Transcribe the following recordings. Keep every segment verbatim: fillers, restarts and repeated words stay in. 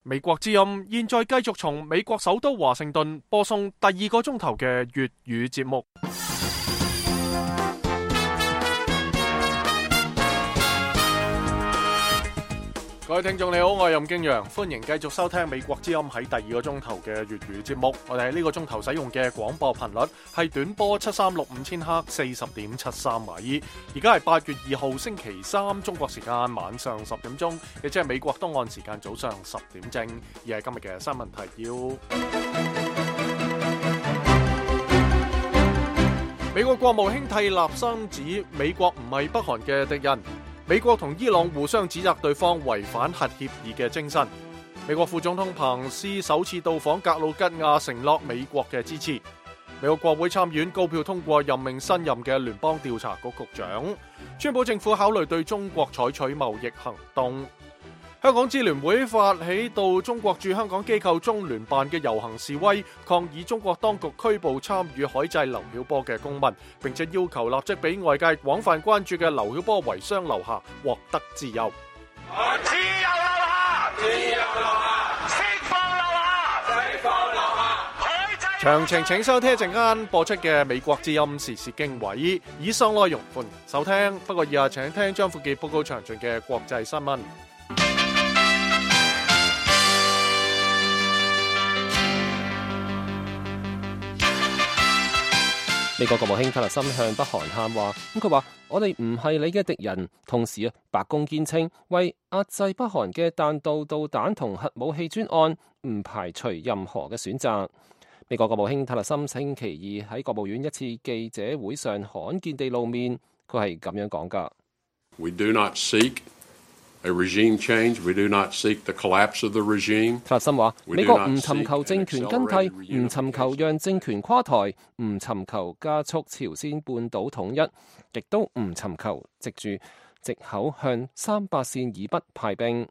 美國之音現在繼續從美國首都華盛頓播送第二個鐘頭嘅粵語節目。各位聽眾你好，我係任敬陽，歡迎繼續收聽美國之音喺第二個鐘頭嘅粵語節目。我哋喺呢個鐘頭使用嘅廣播頻率係短波七三六五千赫四十點七三米。而家係八月二號星期三，中國時間晚上十點鐘，亦即係美國東岸時間早上十點正。而係今日嘅新聞提要。美國國務卿蒂勒森指美國唔係北韓嘅敵人。美國同伊朗互相指責對方違反核協議嘅精神。美國副總統彭斯首次到訪格魯吉亞，承諾美國嘅支持。美國國會參議院高票通過任命新任嘅聯邦調查局局長。川普政府考慮對中國採取貿易行動。香港支聯會發起到中國駐香港機構中聯辦嘅遊行示威，抗議中國當局拘捕參與海祭劉曉波嘅公民，並且要求立即俾外界廣泛關注嘅劉曉波遺孀劉霞獲得自由。自由劉霞，自由劉霞，釋放劉霞，釋放劉霞。海祭。詳情請收聽一陣間播出嘅美國之音時事經緯，以上內容歡迎收聽。不過以下請聽張富傑報告詳盡嘅國際新聞。美國國務卿蒂勒森向北韓喊話，咁佢話：我哋唔係你嘅敵人。同時啊，白宮堅稱為壓制北韓嘅彈道導彈同核武器專案，唔排除任何嘅選擇。美國國務卿蒂勒森星期二喺國務院一次記者會上罕見地露面，佢係咁樣講㗎。We do not seek a regime change. We do not seek the collapse of the regime. 蒂勒森話：美國唔尋求政權更替，唔尋求讓政權垮台，唔尋求加速朝鮮半島統一，亦都唔尋求藉住藉口向三八線以北派兵。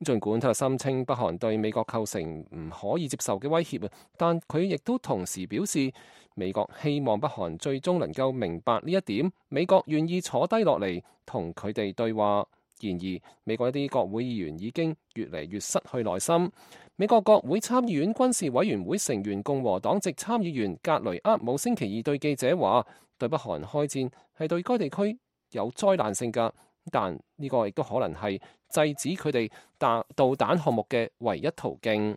儘管蒂勒森稱北韓對美國構成唔可以接受嘅威脅，但佢亦都同時表示，美國希望北韓最終能夠明白呢一點，美國願意坐低落嚟同佢哋對話。然而，美國一啲國會議員已經越嚟越失去耐心。美國國會參議院軍事委員會成員共和黨籍參議員格雷厄姆星期二對記者話：對北韓開戰係對該地區有災難性㗎，但呢個亦都可能係制止佢哋彈導彈項目嘅唯一途徑。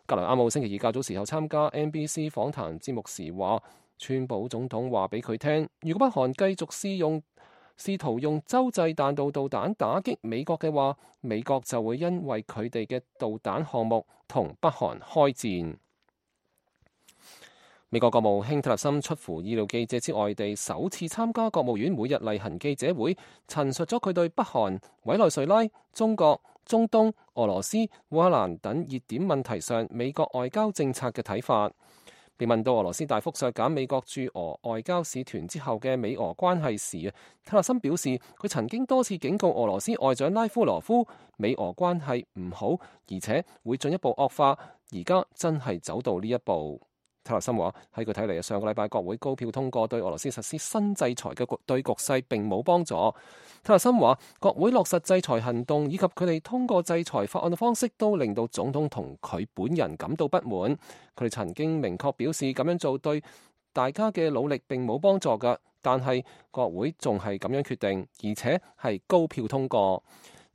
格雷厄姆星期二較早時候參加 N B C 訪談節目時話：川普總統話俾佢聽，如果北韓繼續試用試圖用洲際彈道導彈打擊美國嘅話，美國就會因為佢哋嘅導彈項目同北韓開戰。美國國務卿蒂勒森出乎意料記者之外地首次參加國務院每日例行記者會，陳述咗佢對北韓、委內瑞拉、中國、中東、俄羅斯、烏克蘭等熱點問題上美國外交政策嘅睇法。被問到俄羅斯大幅削減美國駐俄外交使團之後嘅美俄關係時，蒂勒森表示佢曾經多次警告俄羅斯外長拉夫羅夫，美俄關係唔好，而且會進一步惡化。而家真係走到呢一步。蒂勒森話喺佢睇嚟，上個禮拜國會高票通過對俄羅斯實施新制裁嘅局對局勢並冇幫助。蒂勒森話國會落實制裁行動以及佢哋通過制裁法案嘅方式都令到總統同佢本人感到不滿。佢哋曾經明確表示咁樣做對大家嘅努力並冇幫助㗎，但係國會仲係咁樣決定，而且係高票通過。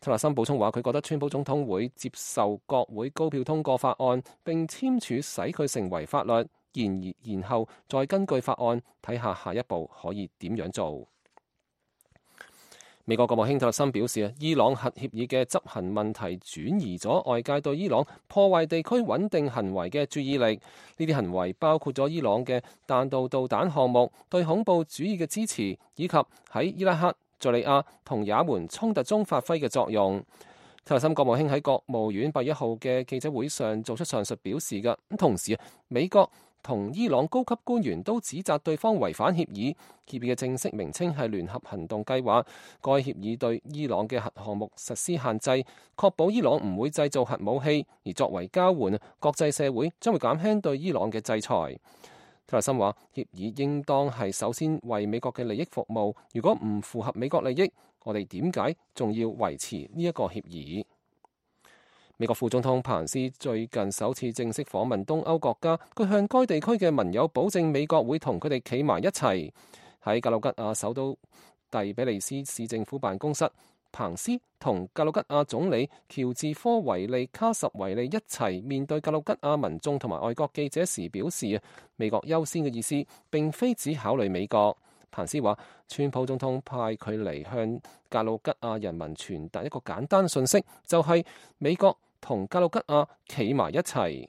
蒂勒森補充話佢覺得川普總統會接受國會高票通過法案並簽署使佢成為法律，然然後再根據法案睇下下一步可以點樣做。美國國務卿蒂勒森表示，伊朗核協議嘅執行問題轉移咗外界對伊朗破壞地區穩定行為嘅注意力。呢啲行為包括咗伊朗嘅彈道導彈項目、對恐怖主義嘅支持，以及喺伊拉克、敘利亞同也門衝突中發揮嘅作用。蒂勒森國務卿喺國務院八月一號嘅記者會上做出上述表示嘅。同時，美國同伊朗高級官員都指責對方違反協議。協議嘅正式名稱係聯合行動計劃。該協議對伊朗嘅核項目實施限制，確保伊朗唔會製造核武器。而作為交換，國際社會將會減輕對伊朗嘅制裁。蒂勒森話：協議應當係首先為美國嘅利益服務。如果唔符合美國利益，我哋點解仲要維持呢一個協議？美國副總統彭斯最近首次正式訪問東歐國家，佢向該地區嘅盟友保證美國會同佢哋企埋一齊。喺格魯吉亞首都第比利斯市政府辦公室，彭斯同格魯吉亞總理喬治科維利卡什維利一齊面對格魯吉亞民眾同埋外國記者時表示，美國優先嘅意思並非只考慮美國。彭斯話，川普總統派佢嚟向格魯吉亞人民傳達一個簡單訊息，就係、是、美國同格魯吉亞企埋一齊。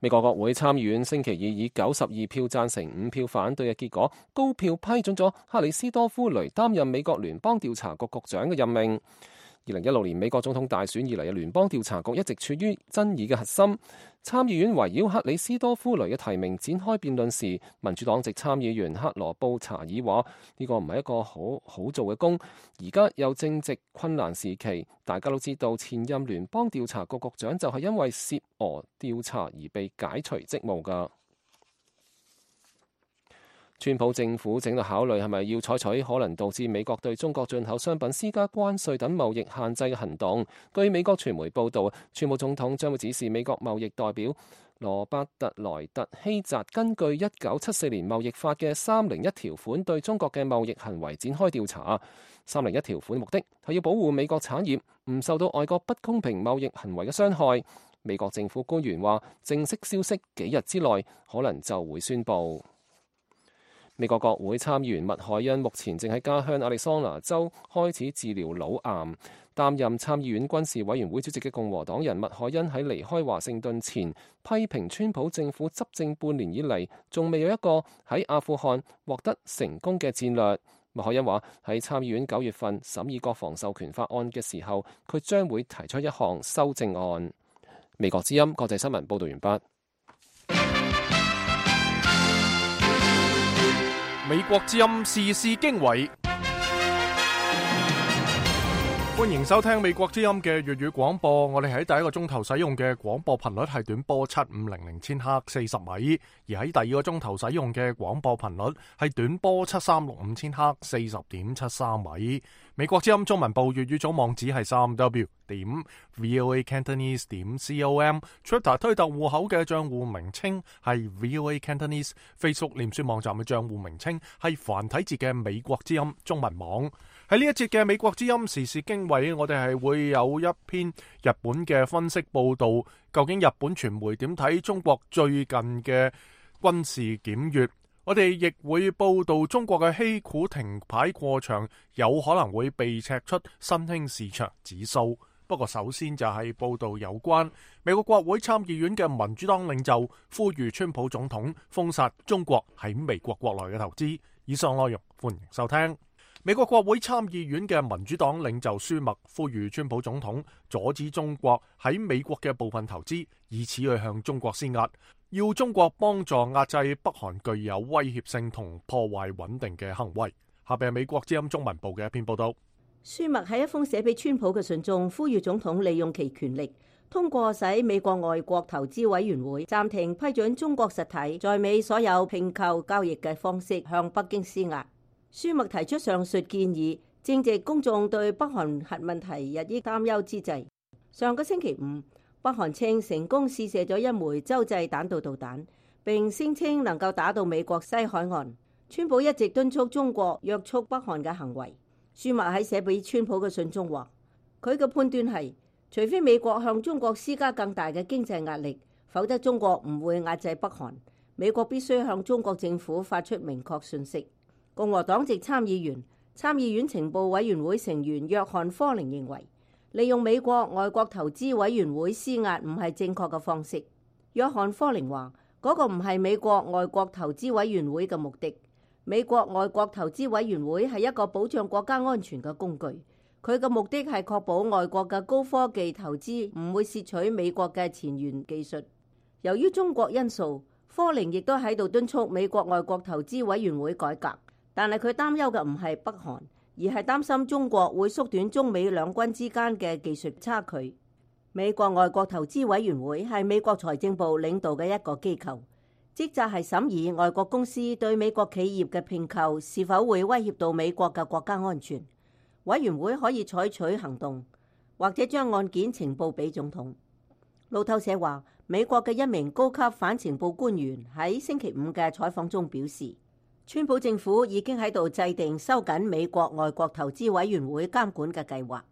美國國會參議院星期二以九十二票贊成、五票反對嘅結果，高票批准咗克里斯多夫雷擔任美國聯邦調查局局長嘅任命。二零一六年美國總統大選以嚟嘅聯邦調查局一直處於爭議嘅核心。參議院圍繞克里斯多夫雷嘅提名展開辯論時，民主黨籍參議員克羅布查爾話：呢個唔係一個好好做嘅工，而家又正值困難時期。大家都知道，前任聯邦調查局局長就係因為涉俄調查而被解除職務㗎。川普政府正在考慮係咪要採取可能導致美國對中國進口商品施加關稅等貿易限制嘅行動。據美國傳媒報導，川普總統將會指示美國貿易代表羅伯特萊特希澤根據一九七四年貿易法嘅三零一條款對中國嘅貿易行為展開調查。三零一條款目的係要保護美國產業唔受到外國不公平貿易行為嘅傷害。美國政府官員話，正式消息幾日之內可能就會宣佈。美國國會參議員麥凱恩目前正喺家鄉亞利桑那州開始治療腦癌。擔任參議院軍事委員會主席嘅共和黨人麥凱恩喺離開華盛頓前，批評川普政府執政半年以嚟，仲未有一個喺阿富汗獲得成功嘅戰略。麥凱恩話喺參議院九月份審議國防授權法案嘅時候，佢將會提出一項修正案。美國之音國際新聞報道完畢。美國之音時事經緯，歡迎收聽美國之音嘅粵語廣播。我哋喺第一個鐘頭使用嘅廣播頻率係短波七五零零千赫四十米，而喺第二個鐘頭使用嘅廣播頻率係短波七三六五千赫四十點七三米。美國之音中文部粵語組網址係三 w 點 voa cantonese 點 com，Twitter 推特戶口嘅賬戶名稱係 voa cantonese，Facebook 臉書網站嘅賬戶名稱係繁體字嘅美國之音中文網。喺呢一節嘅美國之音時事經緯，我哋係會有一篇日本嘅分析報道，究竟日本傳媒點睇中國最近嘅軍事檢閱？我哋亦會報道中國嘅稀土停牌過場，有可能會被踢出新興市場指數。不過首先就係報道有關美國國會參議院嘅民主黨領袖呼籲川普總統封殺中國喺美國國內嘅投資。以上內容歡迎收聽。美國國會參議院嘅民主黨領袖舒默呼籲川普總統阻止中國喺美國嘅部分投資，以此去向中國施壓，要中國幫助壓制北韓具有威脅性同破壞穩定嘅行為。下邊係美國之音中文部嘅一篇報道。舒默喺一封寫俾川普嘅信中，呼籲總統利用其權力，通過使美國外國投資委員會暫停批准中國實體在美所有併購交易嘅方式向北京施壓。舒默提出上述建議，正值公眾對北韓核問題日益擔憂之際。上個星期五，北韓稱成功試射咗一枚洲際彈道導彈，並聲稱能夠打到美國西海岸。川普一直敦促中國約束北韓嘅行為。舒默喺寫俾川普嘅信中話，佢嘅判斷係，除非美國向中國施加更大嘅經濟壓力，否則中國唔會壓制北韓。美國必須向中國政府發出明確訊息。共和黨籍參議員、參議院情報委員會成員約翰科寧認為，利用美國外國投資委員會施壓唔係正確嘅方式。約翰科寧話，嗰個唔係美國外國投資委員會嘅目的。美國外國投資委員會係一個保障國家安全嘅工具，佢嘅目的係確保外國嘅高科技投資唔會竊取美國嘅前沿技術。由於中國因素，科寧亦都喺度敦促美國外國投資委員會改革。但係佢擔憂嘅唔係北韓，而係擔心中國會縮短中美兩軍之間嘅技術差距。美國外國投資委員會係美國財政部領導嘅一個機構，職責係審議外國公司對美國企業嘅併購是否會威脅到美國嘅國家安全。委員會可以採取行動，或者將案件呈報俾總統。路透社話，美國嘅一名高級反情報官員喺星期五嘅採訪中表示，川普政府已經喺度制定收緊美國外國投資委員會監管嘅計劃。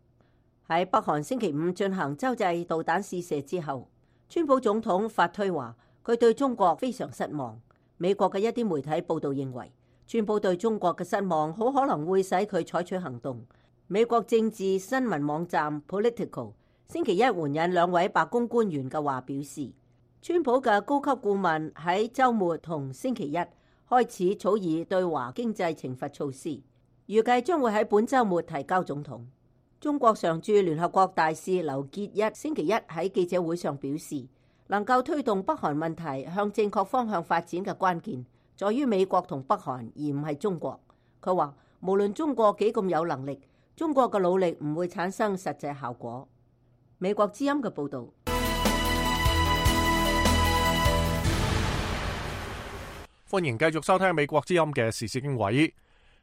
喺北韓星期五進行洲際導彈試射之後，川普總統發推話佢對中國非常失望。美國嘅一啲媒體報道認為，川普對中國嘅失望好可能會使佢採取行動。美國政治新聞網站 Politico 星期一援引兩位白宮官員嘅話表示，川普嘅高級顧問喺週末同星期一開始草擬對華經濟懲罰措施，預計將會喺本週末提交總統。中國常駐聯合國大使劉結一星期一喺記者會上表示，能夠推動北韓問題向正確方向發展嘅關鍵，在於美國同北韓，而唔係中國。佢話，無論中國幾咁有能力，中國嘅努力唔會產生實際效果。美國之音嘅報導。歡迎繼續收聽美國之音嘅時事經緯。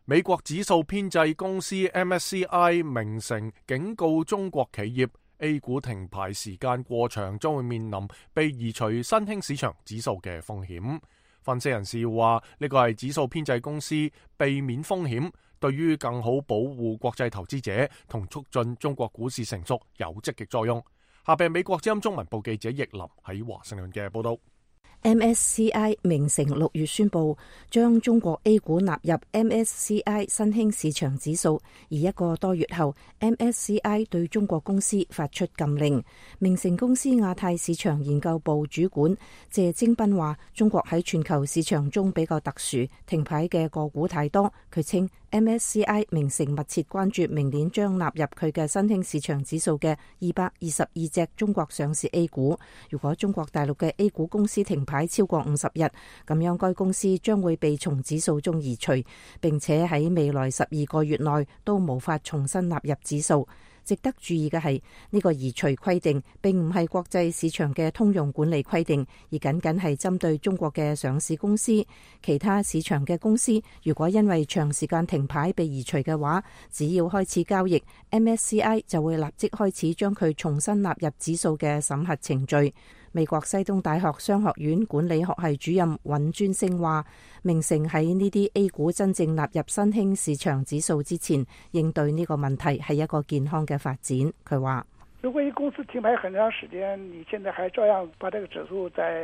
美國指數編製公司 M S C I 明晟警告中國企業 A 股停牌時間過長，將會面臨被移除新興市場指數嘅風險。分析人士話，呢個係指數編製公司避免風險，對於更好保護國際投資者同促進中國股市成熟有積極作用。下邊美國之音中文部記者易林喺華盛頓嘅報道。M S C I 明晟六月宣布將中國 A 股納入 M S C I 新興市場指數，而一個多月後 M S C I 對中國公司發出禁令。明晟公司亞太市場研究部主管謝晶斌話，中國喺全球市場中比較特殊，停牌嘅個股太多。佢稱 M S C I 明晟密切關注明年將納入佢嘅新興市場指數嘅二百二十二隻中國上市 A 股。如果中國大陸嘅 A 股公司停牌超過五十日，咁樣該公司將會被從指數中移除，並且喺未來十二個月內都無法重新納入指數。值得注意嘅係，呢個移除規定並唔係國際市場嘅通用管理規定，而僅僅係針對中國嘅上市公司。其他市場嘅公司如果因為長時間停牌被移除嘅話，只要開始交易， M S C I 就會立即開始將佢重新納入指數嘅審核程序。美國西東大學商學院管理學系主任尹尊升話，明晟喺呢啲 A 股真正納入新興市場指數之前，應對呢個問題係一個健康嘅發展。佢話，如果一公司停牌很長時間，你現在還照樣把這個指數在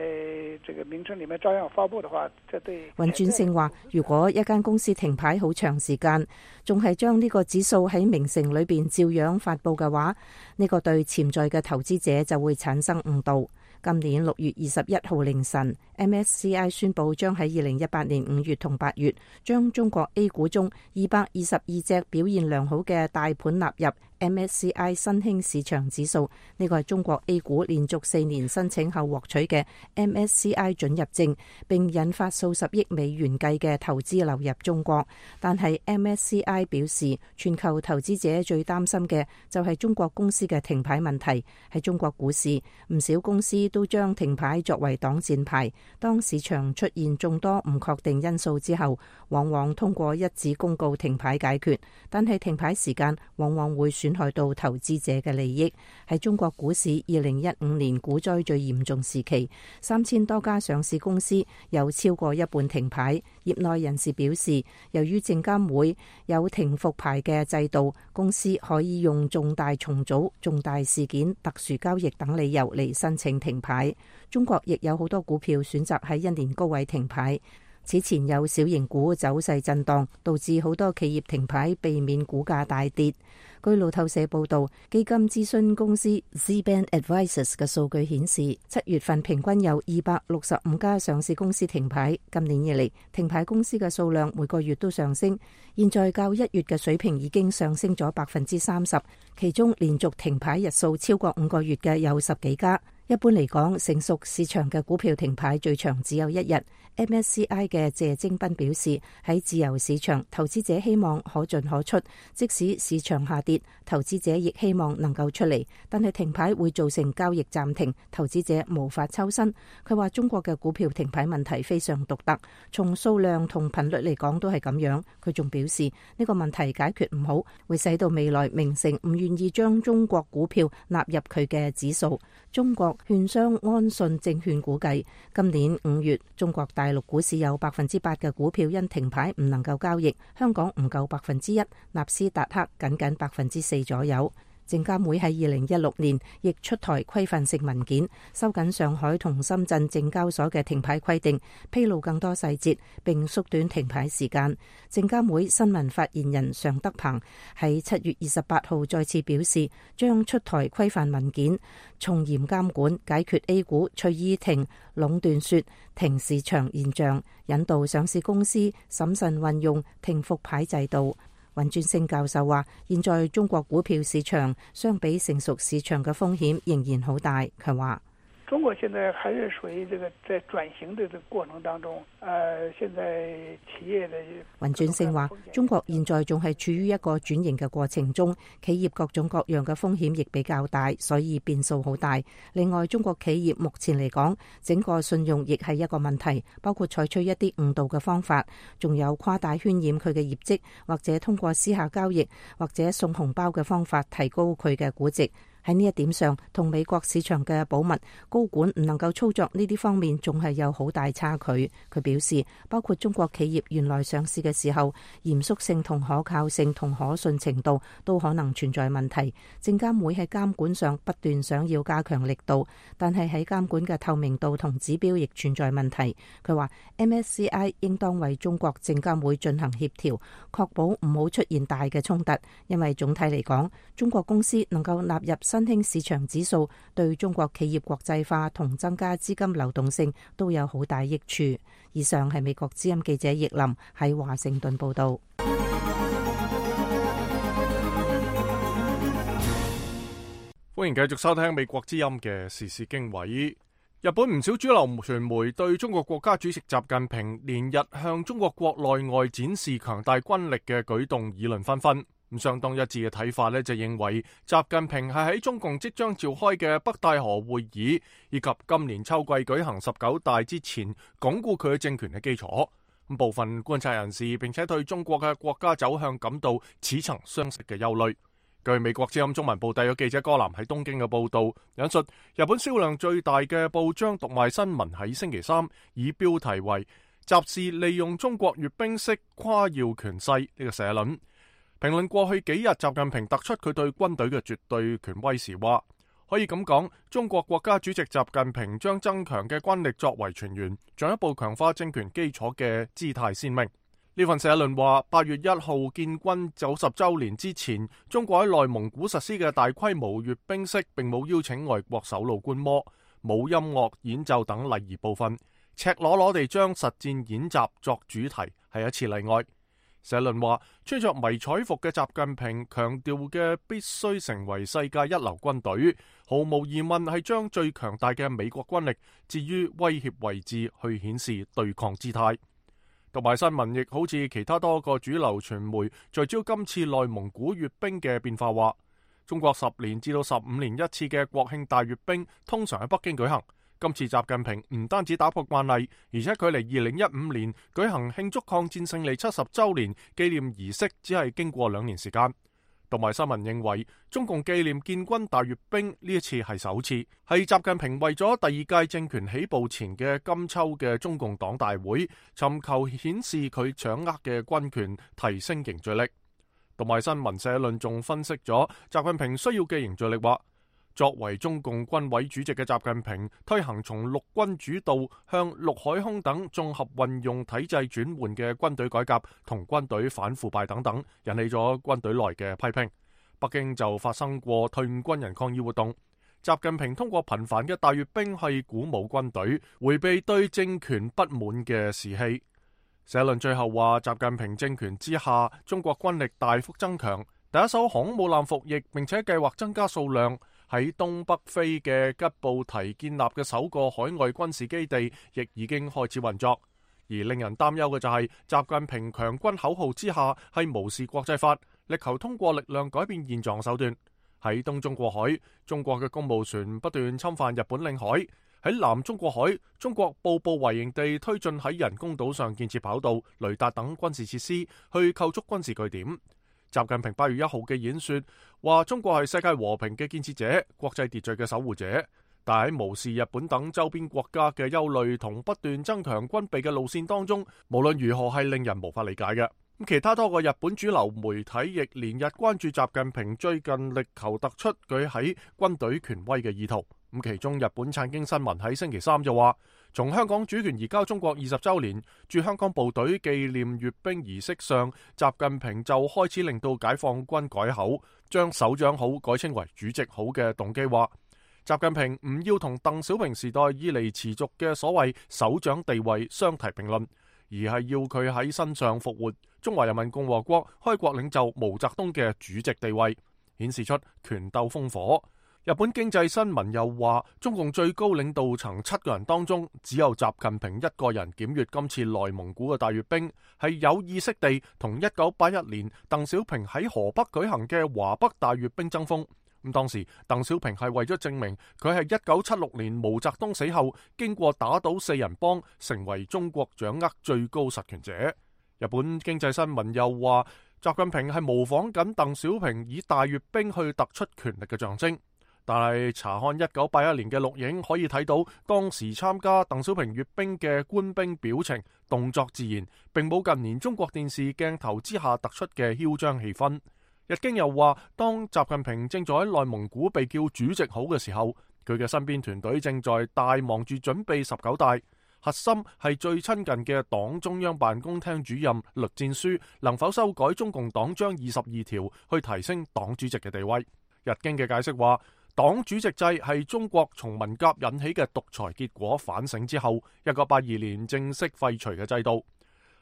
這個名稱裏面照樣發佈的話，這對尹尊升話，如果一間公司停牌好長時間，仲係將呢個指數喺明晟裏邊照樣發佈嘅話，呢個對潛在嘅投資者就會產生誤導。今年六月二十一號凌晨 ，M S C I 宣布將喺二零一八年五月同八月將中國 A 股中二百二十二隻表現良好嘅大盤納入 M S C I 新興市場指數。呢個係中國 A 股連續四年申請後獲取嘅 M S C I 准入證，並引發數十億美元計嘅投資流入中國。但係 M S C I 表示，全球投資者最擔心嘅就係中國公司嘅停牌問題。喺中國股市，唔少公司都將停牌作為擋箭牌。當市場出現眾多唔確定因素之後，往往通過一紙公告停牌解決，但係停牌時間往往會損害到投資者嘅利益。喺中國股市二零一五年股災最嚴重時期，三千多家上市公司有超過一半停牌。業內人士表示，由於證監會有停復牌嘅制度，公司可以用重大重組、重大事件、特殊交易等理由嚟申請停牌。中國亦有好多股票選擇喺一年高位停牌。此前有小型股走勢震盪，導致好多企業停牌，避免股價大跌。據路透社報道，基金諮詢公司 Z-Band Advisors 嘅數據顯示，七月份平均有二百六十五家上市公司停牌。今年以嚟，停牌公司嘅數量每個月都上升，現在較一月嘅水平已經上升咗百分之三十。其中連續停牌日數超過五個月嘅有十幾家。一般嚟講，成熟市場嘅股票停牌最長只有一日。M S C I 嘅謝晶斌表示，喺自由市場，投資者希望可進可出，即使市場下跌，投資者亦希望能夠出嚟。但係停牌會造成交易暫停，投資者無法抽身。佢話中國嘅股票停牌問題非常獨特，從數量同頻率嚟講都係咁樣。佢仲表示呢個問題解決唔好，會使到未來明晟唔願意將中國股票納入佢嘅指數。中國券商安信證券估計，今年五月中國大陸股市有百分之八嘅股票因停牌唔能夠交易，香港唔夠百分之一，納斯達克僅僅百分之四左右。證監會喺二零一六年亦出台規範性文件，收緊上海同深圳證交所嘅停牌規定，披露更多細節並縮短停牌時間。證監會新聞發言人常德鵬喺七月二十八號再次表示，將出台規範文件，從嚴監管，解決 A 股隨意停、壟斷說停市場現象，引導上市公司審慎運用停復牌制度。尹尊升教授話，現在中國股票市場相比成熟市場嘅風險仍然好大。佢話中國現在還是屬於這個在轉型的這個過程當中，呃，現在企業的尹尊升話，中國現在仲係處於一個轉型嘅過程中，企業各種各樣嘅風險亦比較大，所以變數好大。另外，中國企業目前嚟講，整個信用亦係一個問題，包括採取一啲誤導嘅方法，仲有誇大渲染佢嘅業績，或者通過私下交易或者送紅包嘅方法提高佢嘅估值。喺呢一點上，同美國市場嘅保密高管唔能夠操作呢啲方面，仲係有好大差距。佢表示，包括中國企業原來上市嘅時候，嚴肅性同可靠性同可信程度都可能存在問題。證監會喺監管上不斷想要加強力度，但係喺監管嘅透明度同指標亦存在問題。佢話 M S C I 應當為中國證監會進行協調，確保唔好出現大嘅衝突，因為總體嚟講，中國公司能夠納入新興市場指數，對中國企業國際化同增加資金流動性都有好大益處。以上係美國之音記者葉林喺華盛頓報道。歡迎繼續收聽美國之音嘅時事經緯。日本唔少主流傳媒對中國國家主席習近平連日向中國國內外展示強大軍力嘅舉動議論紛紛。咁相當一致嘅睇法呢，就認為習近平係喺中共即將召開嘅北戴河會議以及今年秋季舉行十九大之前，鞏固佢嘅政權嘅基礎。咁部分觀察人士並且對中國嘅國家走向感到似曾相識嘅憂慮。據美國之音中文部特約記者柯南喺東京嘅報道，引述日本銷量最大嘅報章讀賣新聞喺星期三以標題為「習氏利用中國閱兵式誇耀權勢」呢個社論。評論過去幾日習近平突出佢對軍隊嘅絕對權威時話，可以咁講，中國國家主席習近平將增強嘅軍力作為全員，進一步強化政權基礎嘅姿態鮮明。呢份社論話，八月一號建軍九十週年之前，中國喺內蒙古實施嘅大規模閱兵式並冇邀請外國首腦觀摩，冇音樂演奏等禮儀部分，赤裸裸地將實戰演習作主題，係一次例外。社論話，穿着迷彩服嘅習近平強調嘅必須成為世界一流軍隊，毫無疑問係將最強大嘅美國軍力置於威脅位置去顯示對抗姿態。同埋新聞亦好似其他多個主流傳媒聚焦今次內蒙古閱兵嘅變化，話中國十年至到十五年一次嘅國慶大閱兵通常喺北京舉行。今次習近平唔單止打破慣例，而且距離二零一五年舉行慶祝抗戰勝利七十週年紀念儀式只係經過兩年時間。同埋新聞認為，中共紀念建軍大閱兵呢一次係首次，係習近平為咗第二屆政權起步前嘅金秋嘅中共黨大會，尋求顯示佢掌握嘅軍權提升凝聚力。同埋新聞社論仲分析咗習近平需要嘅凝聚力，話作為中共軍委主席嘅習近平推行從陸軍主導向陸海空等綜合運用體制轉換嘅軍隊改革同軍隊反腐敗等等，引起咗軍隊內嘅批評。北京就發生過退伍軍人抗議活動，習近平通過頻繁嘅大閱兵係鼓舞軍隊，迴避對政權不滿嘅士氣。社論最後話，習近平政權之下，中國軍力大幅增強，第一艘航空母艦服役，並且計劃增加數量。喺東北非嘅吉布提建立嘅首個海外軍事基地，亦已經開始運作。而令人擔憂嘅就係習近平強軍口號之下係無視國際法，力求通過力量改變現狀手段。喺東中國海，中國嘅公務船不斷侵犯日本領海；喺南中國海，中國步步為營地推進喺人工島上建設跑道、雷達等軍事設施，去構築軍事據點。習近平八月一號嘅演說話，中國係世界和平嘅建設者、國際秩序嘅守護者。但喺無視日本等周邊國家嘅憂慮同不斷增強軍備嘅路線當中，無論如何係令人無法理解嘅。咁其他多個日本主流媒體亦連日關注習近平最近力求突出佢喺軍隊權威嘅意圖。咁其中日本產經新聞喺星期三就話，從香港主權移交中國二十週年駐香港部隊紀念閱兵儀式上，習近平就開始令到解放軍改口，將首長好改稱為主席好嘅動機話，習近平唔要同鄧小平時代以嚟持續嘅所謂首長地位相提並論，而係要佢喺身上復活中華人民共和國開國領袖毛澤東嘅主席地位，顯示出權鬥烽火。日本經濟新聞又話，中共最高領導層七個人當中，只有習近平一個人檢閱今次內蒙古嘅大閱兵，係有意識地同一九八一年鄧小平喺河北舉行嘅華北大閱兵爭鋒。咁當時鄧小平係為咗證明佢係一九七六年毛澤東死後經過打倒四人幫，成為中國掌握最高實權者。日本經濟新聞又話，習近平係模仿緊鄧小平以大閱兵去突出權力嘅象徵。但係查看一九八一年嘅錄影，可以睇到當時參加鄧小平閱兵嘅官兵表情動作自然，並冇近年中國電視鏡頭之下突出嘅囂張氣氛。日經又話，當習近平正在喺內蒙古被叫主席好嘅時候，佢嘅身邊團隊正在大忙住準備十九大，核心係最親近嘅黨中央辦公廳主任栗戰書能否修改中共黨章二十二條，去提升黨主席嘅地位。日經嘅解釋話，黨主席制係中國從文革引起嘅獨裁結果反省之後，一九八二年正式廢除嘅制度。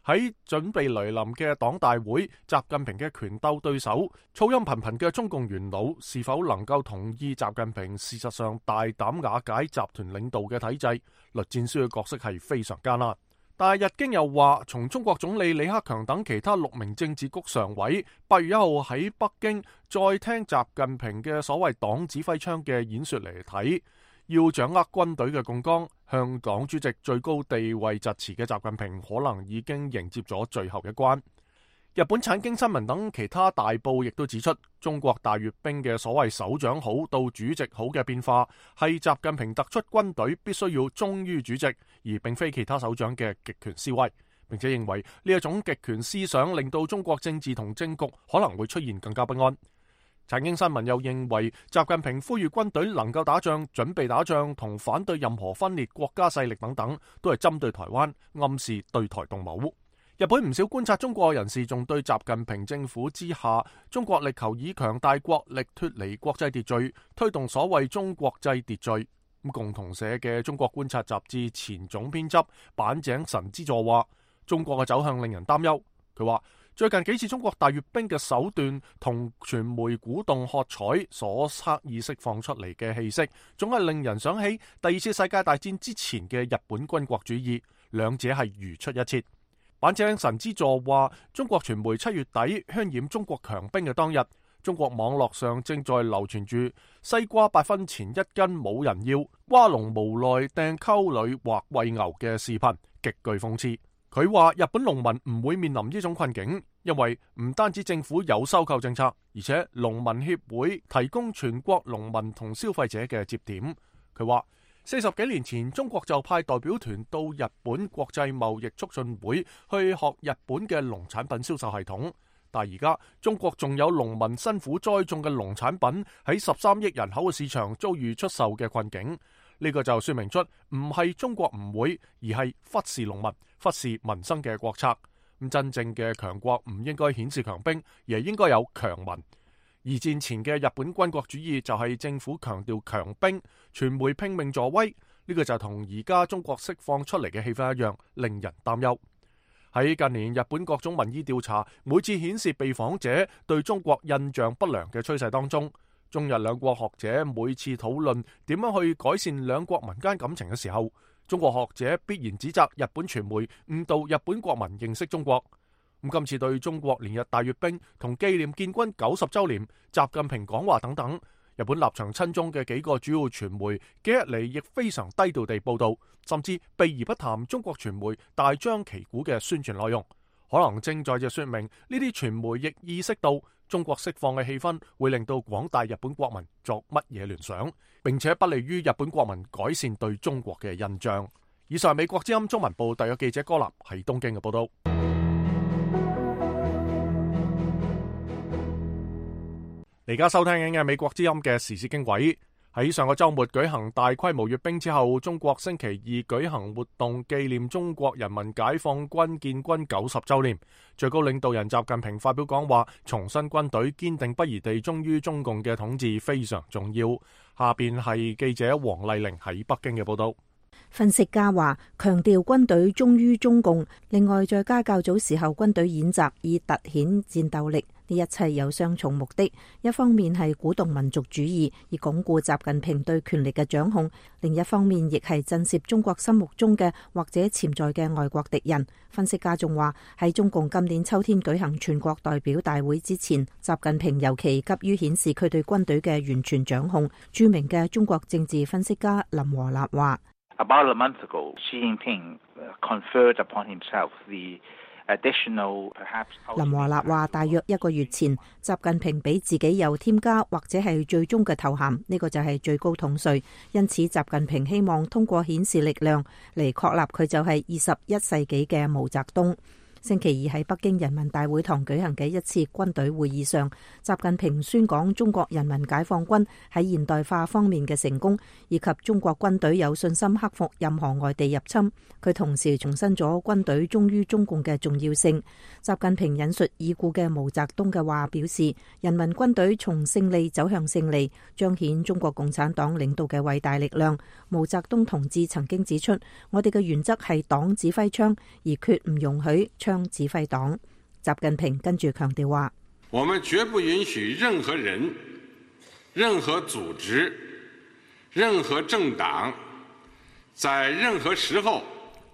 喺準備來臨嘅黨大會，習近平嘅權鬥對手、噪音頻頻嘅中共元老，是否能夠同意習近平事實上大膽瓦解集團領導嘅體制？栗戰書嘅角色係非常艱難。但係日經又話，從中國總理李克強等其他六名政治局常委八月一號喺北京再聽習近平嘅所謂黨指揮槍嘅演說嚟睇，要掌握軍隊嘅槓桿，向黨主席最高地位疾馳嘅習近平，可能已經迎接咗最後一關。日本產經新聞等其他大報亦都指出，中國大閱兵嘅所謂首長好到主席好嘅變化，係習近平突出軍隊必須要忠於主席，而並非其他首長嘅極權思維，並且認為呢一種極權思想令到中國政治同政局可能會出現更加不安。產經新聞又認為，習近平呼籲軍隊能夠打仗、準備打仗同反對任何分裂國家勢力等等，都係針對台灣，暗示對台動武。日本唔少觀察中國人士仲對習近平政府之下，中國力求以強大國力脫離國際秩序，推動所謂中國際秩序。咁共同社嘅中國觀察雜誌前總編輯板井神之助話，中國嘅走向令人擔憂。佢話最近幾次中國大閱兵嘅手段同傳媒鼓動喝彩所刻意釋放出嚟嘅氣息，總係令人想起第二次世界大戰之前嘅日本軍國主義，兩者係如出一轍。板井神之助話，中國傳媒七月底渲染中國強兵嘅當日，中國網絡上正在流傳住西瓜八分錢一斤冇人要，瓜農無奈掟溝裏或餵牛嘅視頻，極具諷刺。佢話日本農民唔會面臨呢種困境，因為唔單止政府有收購政策，而且農民協會提供全國農民同消費者嘅接點。佢話四十幾年前，中國就派代表團到日本國際貿易促進會去學日本嘅農產品銷售系統，但而家中國仲有農民辛苦栽種嘅農產品喺十三億人口嘅市場遭遇出售嘅困境。呢個就說明出唔係中國唔會，而係忽視農民、忽視民生嘅國策。咁真正嘅強國唔應該顯示強兵，而係應該有強民。二戰前嘅日本軍國主義就係政府強調強兵，傳媒拼命助威。呢個就同而家中國釋放出嚟嘅氣氛一樣，令人擔憂。喺近年日本各種民意調查每次顯示被訪者對中國印象不良嘅趨勢當中，中日兩國學者每次討論點樣去改善兩國民間感情嘅時候，中國學者必然指責日本傳媒誤導日本國民認識中國。咁今次對中國連日大閱兵同紀念建軍九十週年、習近平講話等等，日本立場親中嘅幾個主要傳媒幾日嚟亦非常低調地報導，甚至避而不談中國傳媒大張旗鼓嘅宣傳內容，可能正在就説明呢啲傳媒亦意識到中國釋放嘅氣氛會令到廣大日本國民作乜嘢聯想，並且不利於日本國民改善對中國嘅印象。以上係美國之音中文部特約記者柯立喺東京嘅報導。而家收聽緊嘅美國之音嘅時事經緯，喺上個週末舉行大規模閱兵之後，中國星期二舉行活動紀念中國人民解放軍建軍九十週年。最高領導人習近平發表講話，重申軍隊堅定不移地忠於中共嘅統治非常重要。下邊係記者黃麗玲喺北京嘅報導。分析家話，強調軍隊忠於中共，另外再加較早時候軍隊演習以凸顯戰鬥力，呢一切有雙重目的。一方面係鼓動民族主義，以鞏固習近平對權力嘅掌控；另一方面亦係震懾中國心目中嘅或者潛在嘅外國敵人。分析家仲話，喺中共今年秋天舉行全國代表大會之前，習近平尤其急於顯示佢對軍隊嘅完全掌控。著名嘅中國政治分析家林和立話About a month ago, Xi Jinping conferred upon himself the additional, perhaps. 林和立話，大約一個月前，習近平俾自己又添加或者係最終嘅頭銜，呢個就係最高統帥。因此，習近平希望通過顯示力量嚟確立佢就係二十一世紀嘅毛澤東。星期二喺北京人民大會堂舉行嘅一次軍隊會議上，習近平宣講中國人民解放軍喺現代化方面嘅成功，以及中國軍隊有信心克服任何外地入侵。佢同時重申咗軍隊忠於中共嘅重要性。習近平引述已故嘅毛澤東嘅話，表示人民軍隊從勝利走向勝利，彰顯中國共產黨領導嘅偉大力量。毛澤東同志曾經指出，我哋嘅原則係黨指揮槍，而決唔容許槍指揮黨。習近平跟住強調話：我們絕不允許任何人、任何組織、任何政黨在任何時候。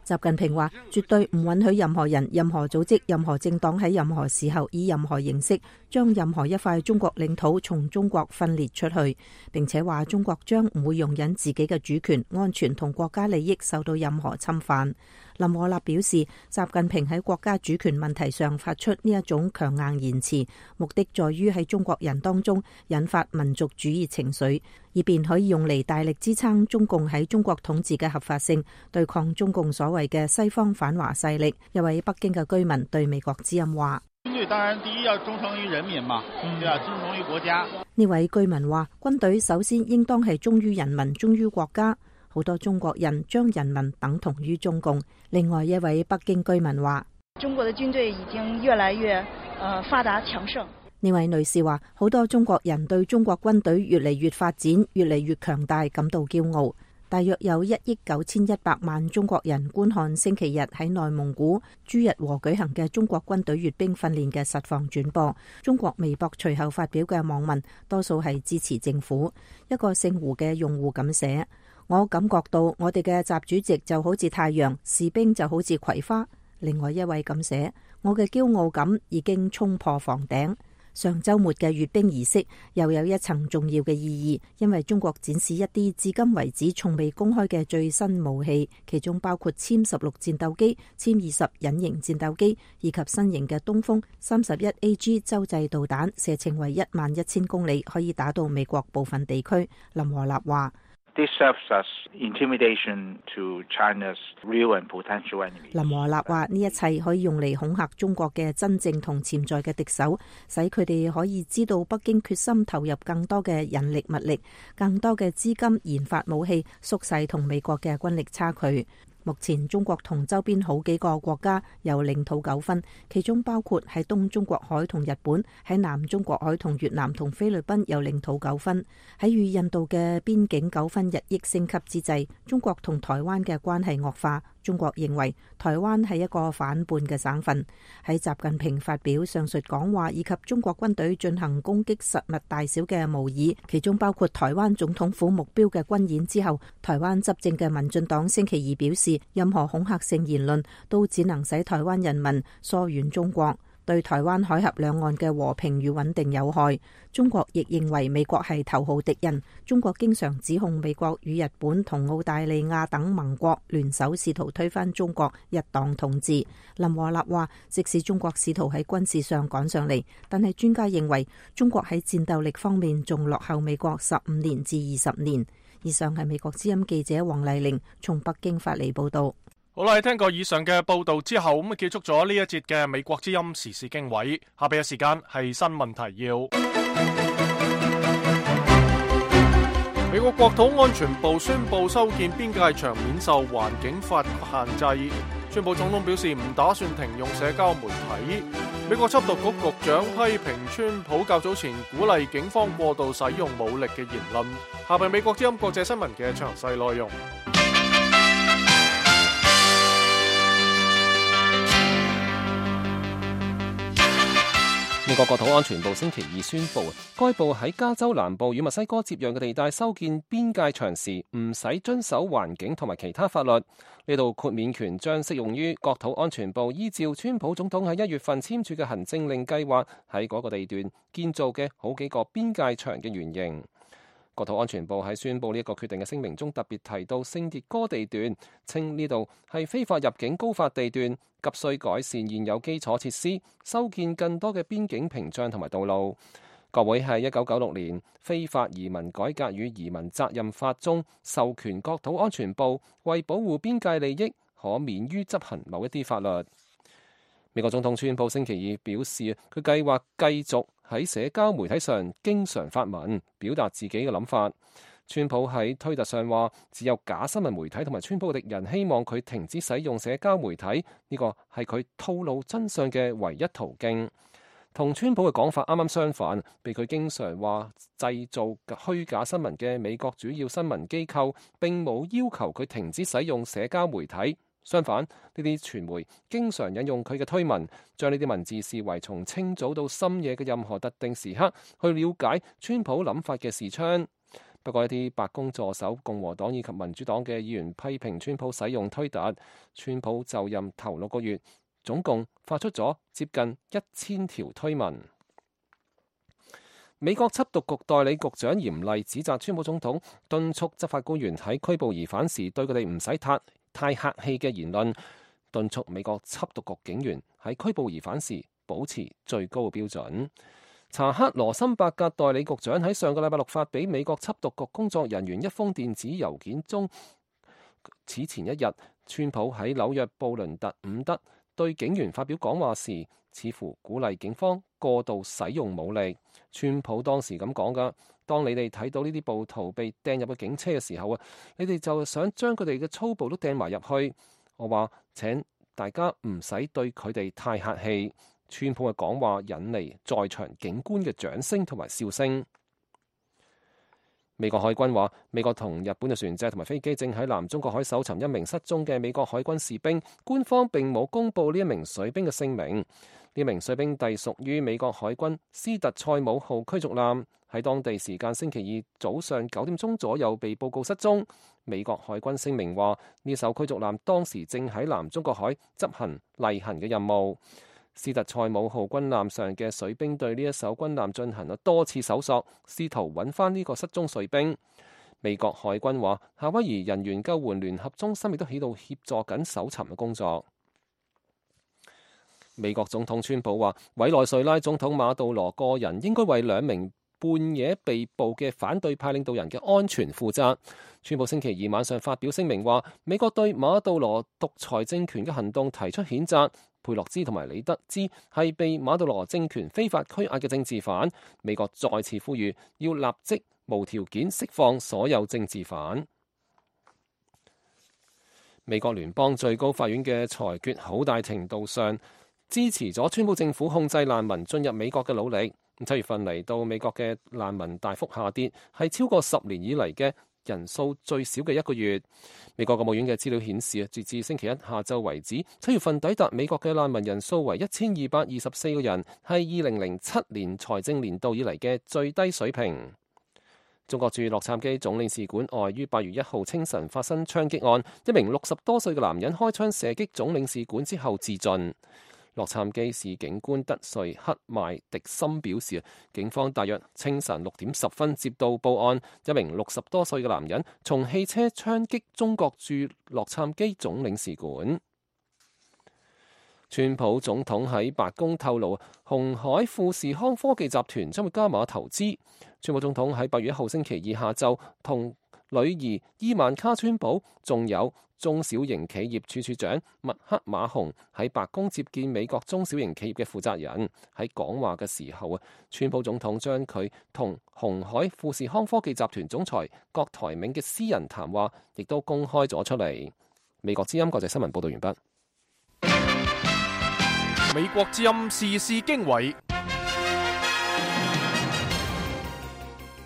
習近平話：絕對唔允許任何人、任何組織、任何政黨喺任何時候以任何形式將任何一塊中國領土從中國分裂出去。並且話中國將唔會容忍自己嘅主權、安全同國家利益受到任何侵犯。林和立表示，習近平喺國家主權問題上發出呢一種強硬言辭，目的在於喺中國人當中引發民族主義情緒，以便可以用嚟大力支撐中共喺中國統治嘅合法性，對抗中共所謂嘅西方反華勢力。一位北京嘅居民對美國之音話：軍隊當然第一要忠誠於人民嘛，對啊，忠誠於國家。呢位居民話：軍隊首先應當係忠於人民、忠於國家。好多中國人將人民等同於中共。另外一位北京居民話：中國的軍隊已經越來越呃發達強盛。呢位女士話：好多中國人對中國軍隊越嚟越發展、越嚟越強大感到驕傲。大約有一億九千一百萬中國人觀看星期日喺內蒙古朱日和舉行嘅中國軍隊閱兵訓練嘅實況轉播。中國微博隨後發表嘅網民多數係支持政府。一個姓胡嘅用戶咁寫：我感覺到我哋嘅習主席就好似太陽，士兵就好似葵花。另外一位咁寫：我嘅驕傲感已經衝破房頂。上週末嘅閱兵儀式又有一層重要嘅意義，因為中國展示一啲至今為止從未公開嘅最新武器，其中包括殲十六戰鬥機、殲二十隱形戰鬥機以及新型嘅東風三十一 A G 洲際導彈，射程為一萬一千公里，可以打到美國部分地區。林和立話This serves as intimidation to China's real and potential enemy. 林和立話：呢一切可以用嚟恐嚇中國嘅真正同潛在嘅敵手，使佢哋可以知道北京決心投入更多嘅人力物力、更多嘅資金研發武器，縮細同美國嘅軍力差距。目前中國同周邊好幾個國家有領土糾紛，其中包括喺東中國海同日本，喺南中國海同越南同菲律賓有領土糾紛。喺與印度嘅邊境糾紛日益升級之際，中國同台灣嘅關係惡化，中國認為台灣係一個反叛嘅省份。喺習近平發表上述講話以及中國軍隊進行攻擊實物大小嘅模擬，其中包括台灣總統府目標嘅軍演之後，台灣執政嘅民進黨星期二表示，任何恐嚇性言論都只能使台灣人民疏遠中國，對台灣海峽兩岸嘅和平與穩定有害。中國亦認為美國係頭號敵人。中國經常指控美國與日本同澳大利亞等盟國聯手試圖推翻中國一黨統治。林和立話，即使中國試圖喺軍事上趕上嚟，但係專家認為中國喺戰鬥力方面仲落後美國十五年至二十年。以上係美國之音記者黃麗玲從北京發嚟報道。好啦，聽過以上嘅報道之後，咁啊結束咗呢一節嘅美國之音時事經緯。下邊嘅時間係新聞提要。美國國土安全部宣布修建邊界牆免受環境法限制。川普總統表示唔打算停用社交媒體。美國緝毒局局長批評川普較早前鼓勵警方過度使用武力嘅言論。下邊美國之音國際新聞嘅詳細內容。美國國土安全部星期二宣布，該部喺加州南部與墨西哥接壤嘅地帶修建邊界牆時，唔使遵守環境同埋其他法律。呢度豁免權將適用於國土安全部依照川普總統喺一月份簽署嘅行政令計劃喺嗰個地段建造嘅好幾個邊界牆嘅原型。國土安全部喺宣布呢一個決定嘅聲明中特別提到聖迭戈地段，稱呢度係非法入境高發地段，急需改善現有基礎設施，修建更多嘅邊境屏障同埋道路。國會喺一九九六年非法移民改革與移民責任法中授權國土安全部為保護邊界利益，可免於執行某一啲法律。美國總統川普星期二表示，佢計劃繼續喺社交媒體上經常發文，表達自己嘅諗法。川普喺推特上話，只有假新聞媒體同埋川普嘅敵人希望佢停止使用社交媒體，呢個係佢透露真相嘅唯一途徑。同川普嘅講法啱啱相反，被佢經常話製造虛假新聞嘅美國主要新聞機構並冇要求佢停止使用社交媒體。相反，呢啲傳媒經常引用佢嘅推文，將呢啲文字視為從清早到深夜嘅任何特定時刻去了解川普諗法嘅視窗。不過一啲白宮助手、共和黨以及民主黨嘅議員批評川普使用推特。川普就任頭六個月，總共發出咗接近一千條推文。美國緝毒局代理局長嚴厲指責川普總統敦促執法官員喺拘捕疑犯時對佢哋唔使太太客氣嘅言論，敦促美國緝毒局警員喺拘捕疑犯時保持最高嘅標準。查克羅森伯格代理局長喺上個禮拜六發俾美國緝毒局工作人員一封電子郵件中，此前一日，川普喺紐約布倫特伍德對警員發表講話時，似乎鼓勵警方過度使用武力。川普當時咁講噶，當你哋睇到呢啲暴徒被掟入個警車嘅時候啊，你哋就想將佢哋嘅粗暴都掟埋入去。我話請大家唔使對佢哋太客氣。川普嘅講話引嚟在場警官嘅掌聲同埋笑聲。美國海軍話，美國同日本嘅船隻同埋飛機正喺南中國海搜尋一名失蹤嘅美國海軍士兵，官方並冇公布呢一名水兵嘅姓名。呢名水兵隸屬於美國海軍斯特塞姆號驅逐艦，喺當地時間星期二早上九點鐘左右被報告失蹤。美國海軍聲明話，呢艘驅逐艦當時正喺南中國海執行例行嘅任務。斯特塞姆號軍艦上嘅水兵對呢一艘軍艦進行咗多次搜索，試圖揾翻呢個失蹤水兵。美國海軍話，夏威夷人員救援聯合中心亦都喺度協助緊搜尋嘅工作。美國總統川普話，委內瑞拉總統馬杜羅個人應該為兩名半夜被捕嘅反對派領導人嘅安全負責。川普星期二晚上發表聲明話，美國對馬杜羅獨裁政權嘅行動提出譴責。佩洛茲同埋李德茲係被馬杜羅政權非法拘押嘅政治犯。美國再次呼籲要立即無條件釋放所有政治犯。美國聯邦最高法院嘅裁決好大程度上支持咗川普政府控制難民進入美國嘅努力。七月份嚟到美國嘅難民大幅下跌，係超過十年以嚟嘅人數最少嘅一個月。美國國務院嘅資料顯示，截至星期一下晝為止，七月份抵達美國嘅難民人數為一千二百二十四個人，係二零零七年財政年度以嚟嘅最低水平。中國駐洛杉磯總領事館外於八月一號清晨發生槍擊案，一名六十多歲嘅男人開槍射擊總領事館之後自盡。洛杉磯市警官德瑞克邁迪森表示，警方大約清晨六點十分接到報案，一名六十多歲嘅男人從汽車槍擊中國駐洛杉磯總領事館。川普總統喺白宮透露，鴻海富士康科技集團將會加碼投資。川普總統喺八月一號星期二下晝同女兒伊萬卡川普，仲有中小型企業處處長麥克馬洪喺白宮接見美國中小型企業嘅負責人。喺講話嘅時候啊，川普總統將佢同鴻海富士康科技集團總裁郭台銘嘅私人談話亦都公開咗出嚟。美國之音國際新聞報道完畢。美國之音時事經緯。